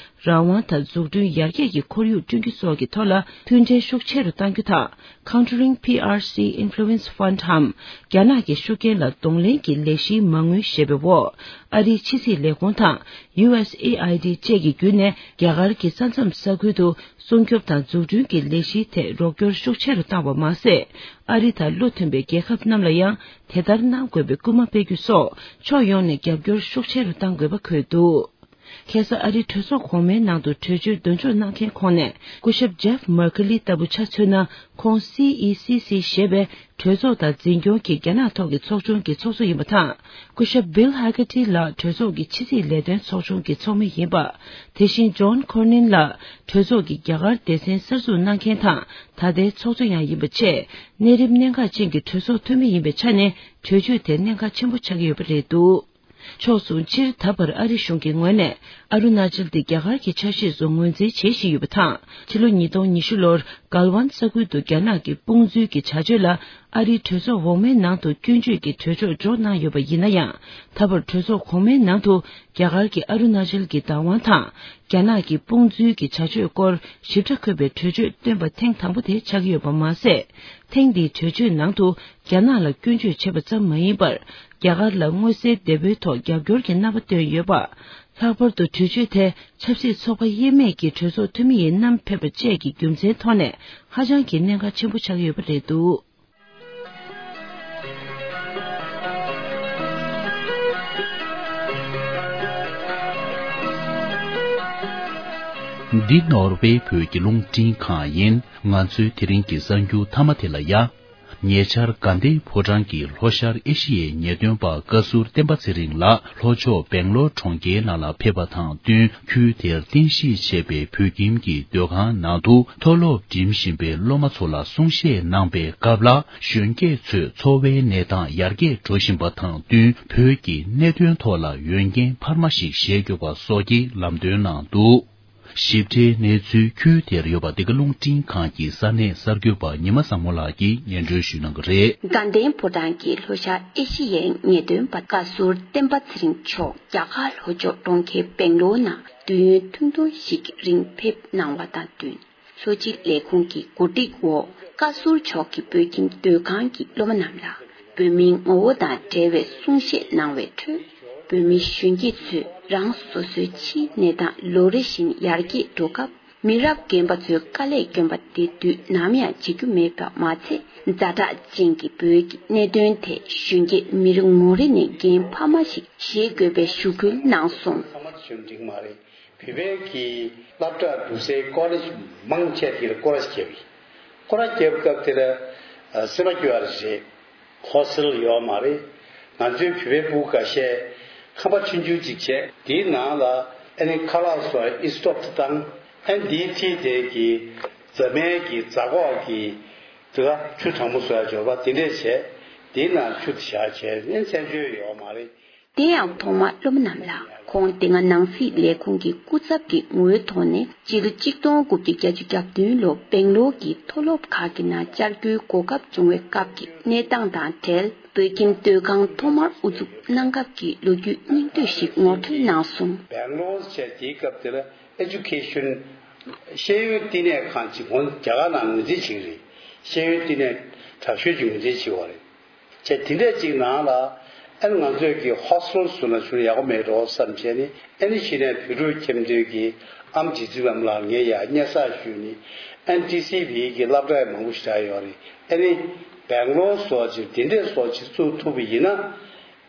རང་དབང་དང་འཛུགས་སྐྲུན་ཡར་རྒྱས་ཀྱི་ཁོར་ཡུག་བསྐྲུན་རྒྱུ་སོགས་ཀྱི་ཐོག་ལ་མཐུན་འབྲེལ་ཤུགས་ཆེ་རུ་གཏང་རྒྱུ་དང་། Countering P R C Influence Fund འམ། རྒྱ་ནག་གི་ཤུགས་རྐྱེན་ལ་གདོང་ལེན་གྱི་ལས་གཞིའི་མ་དངུལ་ཞེས་པའི་འོག་ཨ་རིའི་ཕྱི་སྲིད་ལས་ཁུངས་དང་། ཡུ་ཨེས་ཨེ་ཨའི་ཌི་བཅས་ཀྱི་བརྒྱུད་ནས་རྒྱ་གར་གྱི་ས་མཚམས་ས་ཁུལ་དུ་སྲུང་སྐྱོབ་དང་འཛུགས་སྐྲུན་གྱི་ལས་གཞིའི་ཐད་རོགས་སྐྱོར་ཤུགས་ཆེ་རུ་བཏང་བ་མ་ཟད། ཨ་རི་དང་བློ་མཐུན་པའི་རྒྱལ་ཁབ་རྣམས་ལ་ཡང་དེ་ལྟར་གནང་དགོས་པའི་སྐུལ་མ་སྤེལ་རྒྱུ་སོགས་ཕྱོགས་ཡོངས་ནས་རྒྱབ་སྐྱོར་ཤུགས་ཆེ་རུ་གཏང་དགོས་པ་འཁོད་འདུག་ཁ་སང་ཨ་རིའི་གྲོས་ཚོགས་གོང་མའི་ནང་དུ་གྲོས་ཆོད་འདོན་འཇོག་གནང་མཁན་ཁོངས་ནས་སྐུ་ཞབས་ཇེབ་མར་ཁེ་ལི་ལྟ་བུ་ཆ་མཚོན་ན། ཁོང་སི་ཨི་སི་སི་ཞེས་པའི་གྲོས་ཚོགས་དང་འཛིན་སྐྱོང་གི་རྒྱ་ནག་ཐོག་གི་ཚོགས་ཆུང་གི་ཚོགས་གཙོ་ཡིན་པ་དང་། སྐུ་ཞབས་བིལ་ཧ་གེ་ཏི་ལགས་གྲོས་ཚོགས་ཀྱི་ཕྱི་སྲིད་ལས་དོན་ཚོགས་ཆུང་གི་ཚོགས་མི་ཡིན་པ། དེ་བཞིན་ཇོན་ཁོར་ནིན་ལགས་གྲོས་ཚོགས་ཀྱི་རྒྱ་གར་སྡེ་ཚན་གསར་འཛུགས་གནང་མཁན་དང་ད་ལྟའི་ཚོགས་གཙོ་ཡང་ཡིན་པ་བཅས། གནས་རིམ་གནད་འགག་ཅན་གྱི་གྲོས་ཚོགས་འཐུས་མི་ཡིན་པའི་ཆ་ནས་གྲོས་ཆོད་དེ་གནད་འགག་ཆེན་པོ་ཆགས་ཀྱི་ཡོད་པ་རེད་འདུག་ཕྱོགས་མཚུངས། སྤྱིར་ད་བར་ཨ་རི་གཞུང་གི་ངོས་ནས་ཨ་རུ་ན་ཅལ་དེ་རྒྱ་གར་གྱི་ཆ་ཤས་སུ་ངོས་འཛིན་བྱེད་བཞིན་ཡོད་པ་དང་། ཕྱི་ལོ་ཉིས་སྟོང་ཉི་ཤུ་ལོར་གལ་ཝན་ས་ཁུལ་དུ་རྒྱ་ནག་གི་དཔུང་འཛུལ་གྱི་བྱ་སྤྱོད་ལ་ཨ་རིའི་གྲོས་ཚོགས་འོག་མའི་ནང་དུ་སྐྱོན་བརྗོད་ཀྱི་གྲོས་ཆོད་འཇོག་གནང་ཡོད་པ་ཡིན་ན་ཡང་། ད་བར་གྲོས་ཚོགས་གོང་མའི་ནང་དུ་རྒྱ་གར་གྱི་ཨ་རུ་ན་ཅལ་གྱི་བདག་དབང་དང་། རྒྱ་ནག་གི་དཔུང་འཛུལ་གྱི་བྱ་སྤྱོད་སྐོར་ཞིབ་ཕྲ་འཁོད་པའི་གྲོས་ཆོད་བཏོན་པ་ཐེངས་དང་པོ་དེ་ཆགས་ཀྱི་ཡོད་པ་མ་ཟད། ཐེངས་འདིའི་གྲོས་ཆོད་ནང་དུ་རྒྱ་ནག་ལ་སྐྱོན་བརྗོད་བྱས་པ་ཙམ་མ་ཡིན་པར། རྒྱ་གར་ལ་མངོན་གསལ་དོད་པོའི་ཐོག་རྒྱབ་སྐྱོར་གྱི་རྣམ་པ་བཏོན་ཡོད་པ། ལྷག་པར་དུ་གྲོས་ཆོད་དེ་ཆབ་སྲིད་ཚོགས་པ་དབྱེ་མེད་ཀྱི་གྲོས་ཚོགས་འཐུས་མི་ཡིས་བསྣམས་ཕེབས་པ་བཅས་ཀྱི་རྒྱུ་མཚན་ཐོག་ནས་ཧ་ཅང་གི་གནད་འགག་ཆེན་པོ་ཆགས་ཡོད་པ་རེད་འདུག་འདི་ནོར་ཝེ་བོད་ཀྱི་རླུང་འཕྲིན་ཁང་ཡིན། ང་ཚོའི་དེ་རིང་གི་གསར་འགྱུར་མཐའ་མ་དེ་ལ་ཡ། ཉེ་ཆར་དགའ་ལྡན་ཕོ་བྲང་གི་ལྷོ་ཤར་ཨེ་ཤི་ཡའི་ཉེས་དོན་པ་བཀའ་ཟུར་བསྟན་པ་ཚེ་རིང་ལགས་ལྷོ་ཕྱོགས་སྦེང་ལོར་གྲོང་ཁྱེར་ནང་ལ་ཕེབས་པ་དང་བསྟུན། ཁུལ་དེར་རྟེན་གཞི་བྱས་པའི་བོད་ཁྱིམ་གྱི་སྡོད་ཁང་ནང་དུ་མཐོ་སློབ་འགྲིམ་བཞིན་པའི་སློབ་མ་ཚོ་ལ་གསུང་བཤད་གནང་པའི་སྐབས་ལ། གཞོན་སྐྱེས་ཚོས་འཚོ་བའི་གནས་སྟངས་ཡར་རྒྱས་འགྲོ་བཞིན་པ་དང་བསྟུན། བོད་ཀྱི་གནད་དོན་ཐོག་ལ་འོས་འགན་འཕར་མ་ཞིག་བཞེས་དགོས་པ་སོགས་ཀྱི་ལམ་སྟོན་གནང་འདུག། ཞིབ་ཕྲའི་གནས་ཚུལ། ཁུལ་དེར་ཡོད་པ་འདི་ག་རླུང་འཕྲིན་ཁང་གི་ས་གནས་གསར་འགོད་པ་ཉི་མ་བཟང་མོ་ལགས་ཀྱིས་སྙན་སྒྲོན་ཞུ་གནང་གི་རེད། དགའ་ལྡན་ཕོ་བྲང་གི་ལྷོ་ཤར་ཨེ་ཤི་ཡའི་ཉེས་དོན་པ་བཀའ་ཟུར་བསྟན་པ་ཚེ་རིང་མཆོག་རྒྱ་གར་ལྷོ་ཕྱོགས་གྲོང་ཁྱེར་སྦེང་ལོར་ནང་དུས་ཡུན་ཐུང་ཐུང་ཞིག་གི་རིང་ཕེབས་གནང་བ་དང་བསྟུན། ལྷོ་སྤྱི་ལས་ཁུངས་ཀྱི་གོ་སྒྲིག་འོག་བཀའ་ཟུར་མཆོག་གིས་བོད་ཁྱིམ་སྡོད་ཁང་གི་སློབ་མ་རྣམས་ལ་བོད་མིའི་ངོ་བོ་དང་འབྲེལ་བའི་གསུང་བཤད་གནང་བའི་ཁྲོད། བོད་མི་གཞོན་སྐྱེས་ཚོས་རང་སོ་སོའི་ཕྱིའི་གནས་སྟངས་ལོ་རེ་བཞིན་ཡར་རྒྱས་འགྲོ་སྐབས། མི་རབས་རྒན་པ་ཚོའི་དཀའ་ལས་སྐྱོན་པ་དེ་དུས་ནམ་ཡང་བརྗེད་རྒྱུ་མེད་པ་མ་ཚད། ཛ་དྲག་ཅན་གྱི་བོད་ཀྱི་གནད་དོན་ཐད་གཞོན་སྐྱེས་མི་རེ་ངོ་རེ་ནས་འགན་འཕར་མ་ཞིག་བཞེས་དགོས་པའི་ཞུ་སྐུལ་གནང་སོང་། ཚང་མ་དེ་བྱུང་འགྲིག་མ་རེད། བོད་པའི་གི་སློབ་གྲྭ་འགྲོ་སའི་ཀོ་ལེཇ་མང་ཆེ་དེ་ལ་སྐོར་ར་བརྒྱབ་ཡིན། སྐོར་ར་བརྒྱབ་སྐབས་དེ་ལ་ཨ་སེམས་པ་སྐྱོ་བ་རེད། ཧོ་སི་ཊེལ་ཡོད་མ་རེད། ང་ཚོའི་བོད་པའི་ཕྲུ་གུ་ཁ་ཤས་ཁང་པ་ཆུང་ཆུང་ཅིག་བྱས། དེའི་ནང་ལ་ཨ་ནི་ཁ་ལག་བཟོ་ཡ་ཨི་སི་ཊོབ་དེ་བཏང་། ཨ་ནི་དེའི་འཁྲིས་དེ་གི་རྫ་མའི་གི་རྫ་ཁོག་གི་དེ་ག་ཆུ་གྲང་མོ་བཟོ་ཡ་འབྱོར་པ་དེ་འདྲས་བྱས། དེའི་ནང་ཆུ་དེ་བཞག་བྱས་ཨ་ནི་མཚན་བརྗོད་ཡོད་མ་རེད། དེ་ཡང་ཐོག་མར་སློབ་མ་རྣམས་ལ་ཁོང་དེ་སྔ་ནང་སྲིད་ལས་ཁུངས་ཀྱི་སྐུ་ཚབ་ཀྱི་ངོའི་ཐོག་ནས་སྤྱི་ལོ་གཅིག་སྟོང་དགུ་བརྒྱ་བརྒྱད་ཅུ་གྱ་བདུན་ལོར་སྦེང་ལོར་གྱི་མཐོ་སློབ་ཁག་གི་ནང་བཅར་རྒྱུའི་གོ་སྐབས་བྱུང་བའི་སྐབས་ཀྱི་གནས་སྟངས་དང་འབྲེལ། བོད་ཁྱིམ་སྡོད་ཁང་ཐོག་མར་དབུ་འཛུགས་གནང་སྐབས་ཀྱི་ལོ་རྒྱུས་སྙིང་བསྡུས་ཤིག་ངོ་སྤྲོད་གནང་སོང་། སྦེང་ལོར་བྱས་དེའི་སྐབས་དེ་ལ་ཨེ་ཇུ་ཀེ་ཤན་ཤེས་ཡོན་བསྟི་གནས་ཁང་ཅིག་ཁོང་རྒྱ་གར་ནང་ངོས་འཛིན་བྱེད་ཀྱི་རེད། ཤེས་ཡོན་བསྟི་གནས་དྲག་ཤོས་ཀྱི་ངོས་འཛིན་བྱེད་པ་རེད། བྱས་དེ་འདྲས་ཅིག་ནང་ལ་ཨ་ནི་ང་ཚོས་ཀྱི་ཧོ་སི་ཊེལ་བཟོ་ན་ཆུང་ཡག་པོ་མེད་འགྲོ་བསམ་བྱས་ནས། ཨ་ནི་གཞི་ནས་བོད་ཕྲུག་ཁྱིམ་སྡོད་ཀྱི་ཨམ་རྗེ་བཙུན་ལམ་ལགས་ངས་ཡར་སྙན་སེང་ཞུས་ནས། ཨ་ནི་ཊི་སི་ཝི་གི་སློབ་གྲྭ་ཡང་མང་པོ་ཞིག་རག་ཡོད་རེད། ཨ་ནི་སྦེང་ལོར་སོགས་ཅིག་དེ་འདྲས་སོགས་ཅིག་བཙུགས་ཐུབ་པ་ཡིན་ན།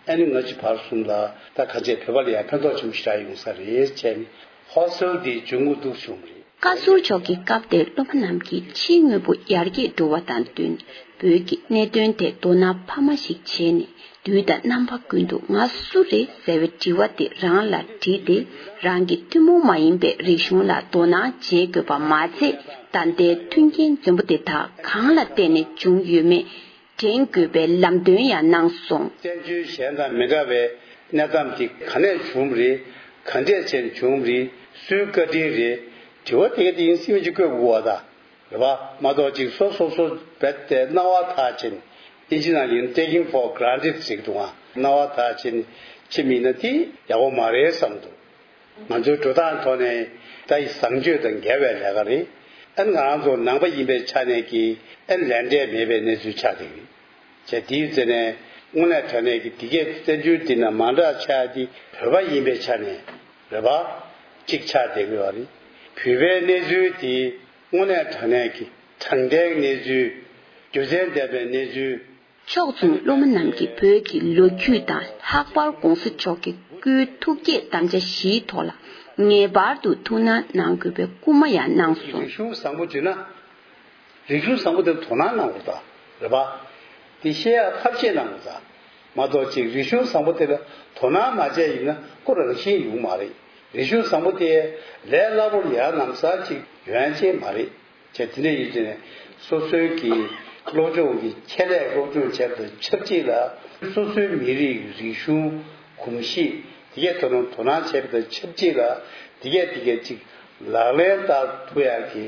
ཨ་ནི་སྔ་ཕྱི་བར་གསུམ་ལ་ད་ག་ཚོད་བོད་པ་ལ་ཡང་ཕན་ཐོགས་ཆེན་པོ་ཞིག་རག་ཡོང་ས་རེད་བྱས་ནས། ཧོ་སི་ཊེལ་འདི་འབྱུང་ཁུངས་འདུག་བྱུང་བ་རེད། བཀའ་ཟུར་མཆོག་གིས་སྐབས་དེར་སློབ་མ་རྣམས་ཀྱི་ཕྱིའི་དངོས་པོ་ཡར་རྒྱས་འགྲོ་བ་དང་བསྟུན། བོད་ཀྱི་གནད་དོན་ཐད་དོ་སྣང་འཕར་མ་ཞིག་བྱས་ནས། དུས་དང་རྣམ་པ་ཀུན་ཏུ་ང་སུ་རེད་ཟེར་བའི་དྲི་བ་དེ་རང་ལ་དྲིས་ཏེ། རང་གི་ཐུན་མོང་མ་ཡིན་པའི་རིག་གཞུང་ལ་དོ་སྣང་བྱེད་དགོས་པ་མ་ཚད། ད་ལྟའི་མཐུན་རྐྱེན་འཛོམས་པོ་དེ་དག་གང་ལ་བརྟེན་ནས་བྱུང་ཡོད་མེད། འགྲན་དགོས་པའི་ལམ་སྟོན་ཡང་གནང་སོང་། བཙན་བྱོལ་གཞན་དང་མི་འདྲ་བའི་གནས་སྟངས་དེ་ག་ནས་བྱུང་བ་རེད། ག་འདྲས་བྱས་ནས་བྱུང་བ་རེད། སུའི་བཀའ་དྲིན་རེད། དྲི་བ་དེ་ག་དེ་ཡིན་སྲིད་མི་གཅིག་བཀོད་དགོས་པ་ད་རེད་པ། མ་གཏོགས་ཅིག་སོ་སོ་སོ་རྦད་དེ་སྣང་བ་མཐའ་ཕྱིན། ཨིན་ཇི་ནང་ཡིན་taking for granted ཟེར་གི་འདུག་ཨ། སྣང་བ་མཐའ་ཕྱིན་ཕྱིན་མིན་ན་དེ་ཡག་པོ་མ་རེད་བསམ་འདུག། ང་ཚོའི་འགྲོ་སྟངས་ཐོག་ནས་ད་ཡི་བཟང་སྤྱོད་དང་འགལ་བའི་ལས་ཀ་རེད། ཨ་ནི་ང་རང་ཚོ་ནང་པ་ཡིན་པའི་ཆ་ནས་ཀྱི་ཨ་ནི་ལས་འབྲས་མེད་པའི་གནས་ཚུལ་ཆགས་བསྡད་ཀྱི་རེད། བྱས་དེའི་རྩེ་ནས་དངོས་གནས་དྲང་གནས་ཀྱི་འདི་གས་བཙན་བྱོལ་འདི་ན་མ་འདྲ་ཆགས་ཏེ། བོད་པ་ཡིན་པའི་ཆ་ནས་རེད་པ། གཅིག་ཆགས་བསྡད་ཀྱི་ཡོད་རེད། བོད་པའི་གནས་ཚུལ་དེ་དངོས་གནས་དྲང་གནས་ཀྱི་དྲང་བདེན་གནས་ཚུལ། རྒྱུ་མཚན་ལྡན་པའི་གནས་ཚུལ། ཕྱོགས་མཚུངས་སློབ་མ་རྣམས་ཀྱིས་བོད་ཀྱི་ལོ་རྒྱུས་དང་ལྷག་པར་༸གོང་ས་མཆོག་གི་སྐུའི་ཐུགས་བསྐྱེད་དམ་བཅའ་བཞིའི་ཐོག་ལ་ངེས་པར་དུ་ཐུགས་སྣང་གནང་དགོས་པའི་སྐུལ་མ་ཡང་གནང་སོང་། རིག་གཞུང་བཟང་པོ་བྱུང་ན། རིག་གཞུང་བཟང་པོ་དེར་དོ་སྣང་གནང་དགོས་ད། རེད་པ། དེ་ཤེས་ཡག་ཐབས་ཤེས་གནང་དགོས་ད། མ་གཏོགས་ཅིག་རིག་གཞུང་བཟང་པོ་དེ་ལ་དོ་སྣང་མ་བྱས་ཡིན་ན་ཁོ་རང་བཞིན་ཡོང་མ་རེད། རིག་གཞུང་བཟང་པོ་དེ་ལས་སླ་པོར་ཡར་ལངས་ས་ཅིག་ཡོང་ཡ་ཅིག་མ་རེད། བྱས་དེ་འདྲ་ཡིན་དུས་ནས་སོ་སོའི་གི་སློབ་སྦྱོང་གི་ཆེད་ལས་སློབ་སྦྱོང་བྱས་པ་དང་ཆབས་ཅིག་ལ། སོ་སོའི་མི་རིགས་རིག་གཞུང་གོམས་གཤིས་དེ་གས་ཐོག་ནས་དོ་སྣང་བྱས་པ་དང་ཆབས་ཅིག་ལ། དེ་གས་དེ་གས་ཅིག་ལག་ལེན་བསྟར་ཐུབ་ཡག་གི་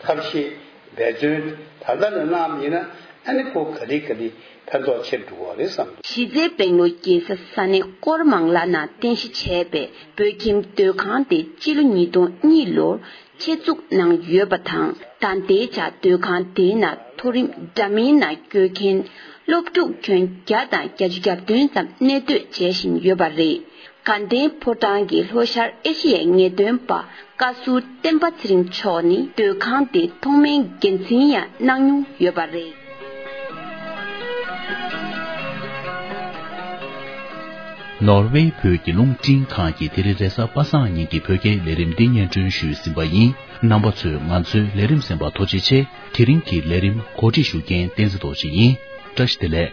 ཐབས་ཤེས་འབད་བརྩོན་ད་ལྟ་ནས་གནང་བ་ཡིན་ན། ཨ་ནི་ཁོ་ག་ལེ་ག་ལེ་ཕན་ཐོགས་ཆེར་འགྲོ་གི་རེད་བསམ་འདུག། གཞི་རྩའི་སྦེང་ལོར་རྒྱལ་ས་ས་གནས་ཀོར་མང་ལ་ནང་རྟེན་གཞི་བྱས་པའི་བོད་ཁྱིམ་སྡོད་ཁང་དེ་སྤྱི་ལོ་ཉིས་སྟོང་གཉིས་ལོར་ཆེད་འཛུགས་གནང་ཡོད་པ་དང་། ད་ལྟའི་ཆར་སྡོད་ཁང་དེའི་ནང་མཐོ་རིམ་འདྲ་མིན་ནང་བསྐྱོད་མཁན་སློབ་ཕྲུག་ཁྱོན་བརྒྱ་དང་བརྒྱད་ཅུ་གྱ་བདུན་ཙམ་གནས་སྡོད་བྱེད་བཞིན་ཡོད་པ་རེད། དགའ་ལྡན་ཕོ་བྲང་གི་ལྷོ་ཤར་ཨེ་ཤི་ཡའི་ངེས་སྟོན་པ་བཀའ་ཟུར་བསྟན་པ་ཚེ་རིང་མཆོག་ནི་སྡོད་ཁང་དེའི་ཐོག་མའི་འགན་འཛིན་ཡང་གནང་མྱོང་ཡོད་པ་རེད། ནོར་ཝེ་བོད་ཀྱི་རླུང་འཕྲིན་ཁང་གིས་དེ་རིང་རེས་གཟའ་པ་སངས་ཉིན་གྱི་བོད་སྐད་ལས་རིམ་འདི་སྙན་སྒྲོན་ཞུས་ཟིན་པ་ཡིན། རྣམ་པ་ཚོས་ང་ཚོའི་ལས་རིམ་གསན་པར་ཐུགས་རྗེ་ཆེ། དེ་རིང་གི་ལས་རིམ་གོ་སྒྲིག་ཞུ་མཁན་བསྟན་འཛིན་རྡོ་རྗེ་ཡིན། བཀྲ་ཤིས་བདེ་ལེགས།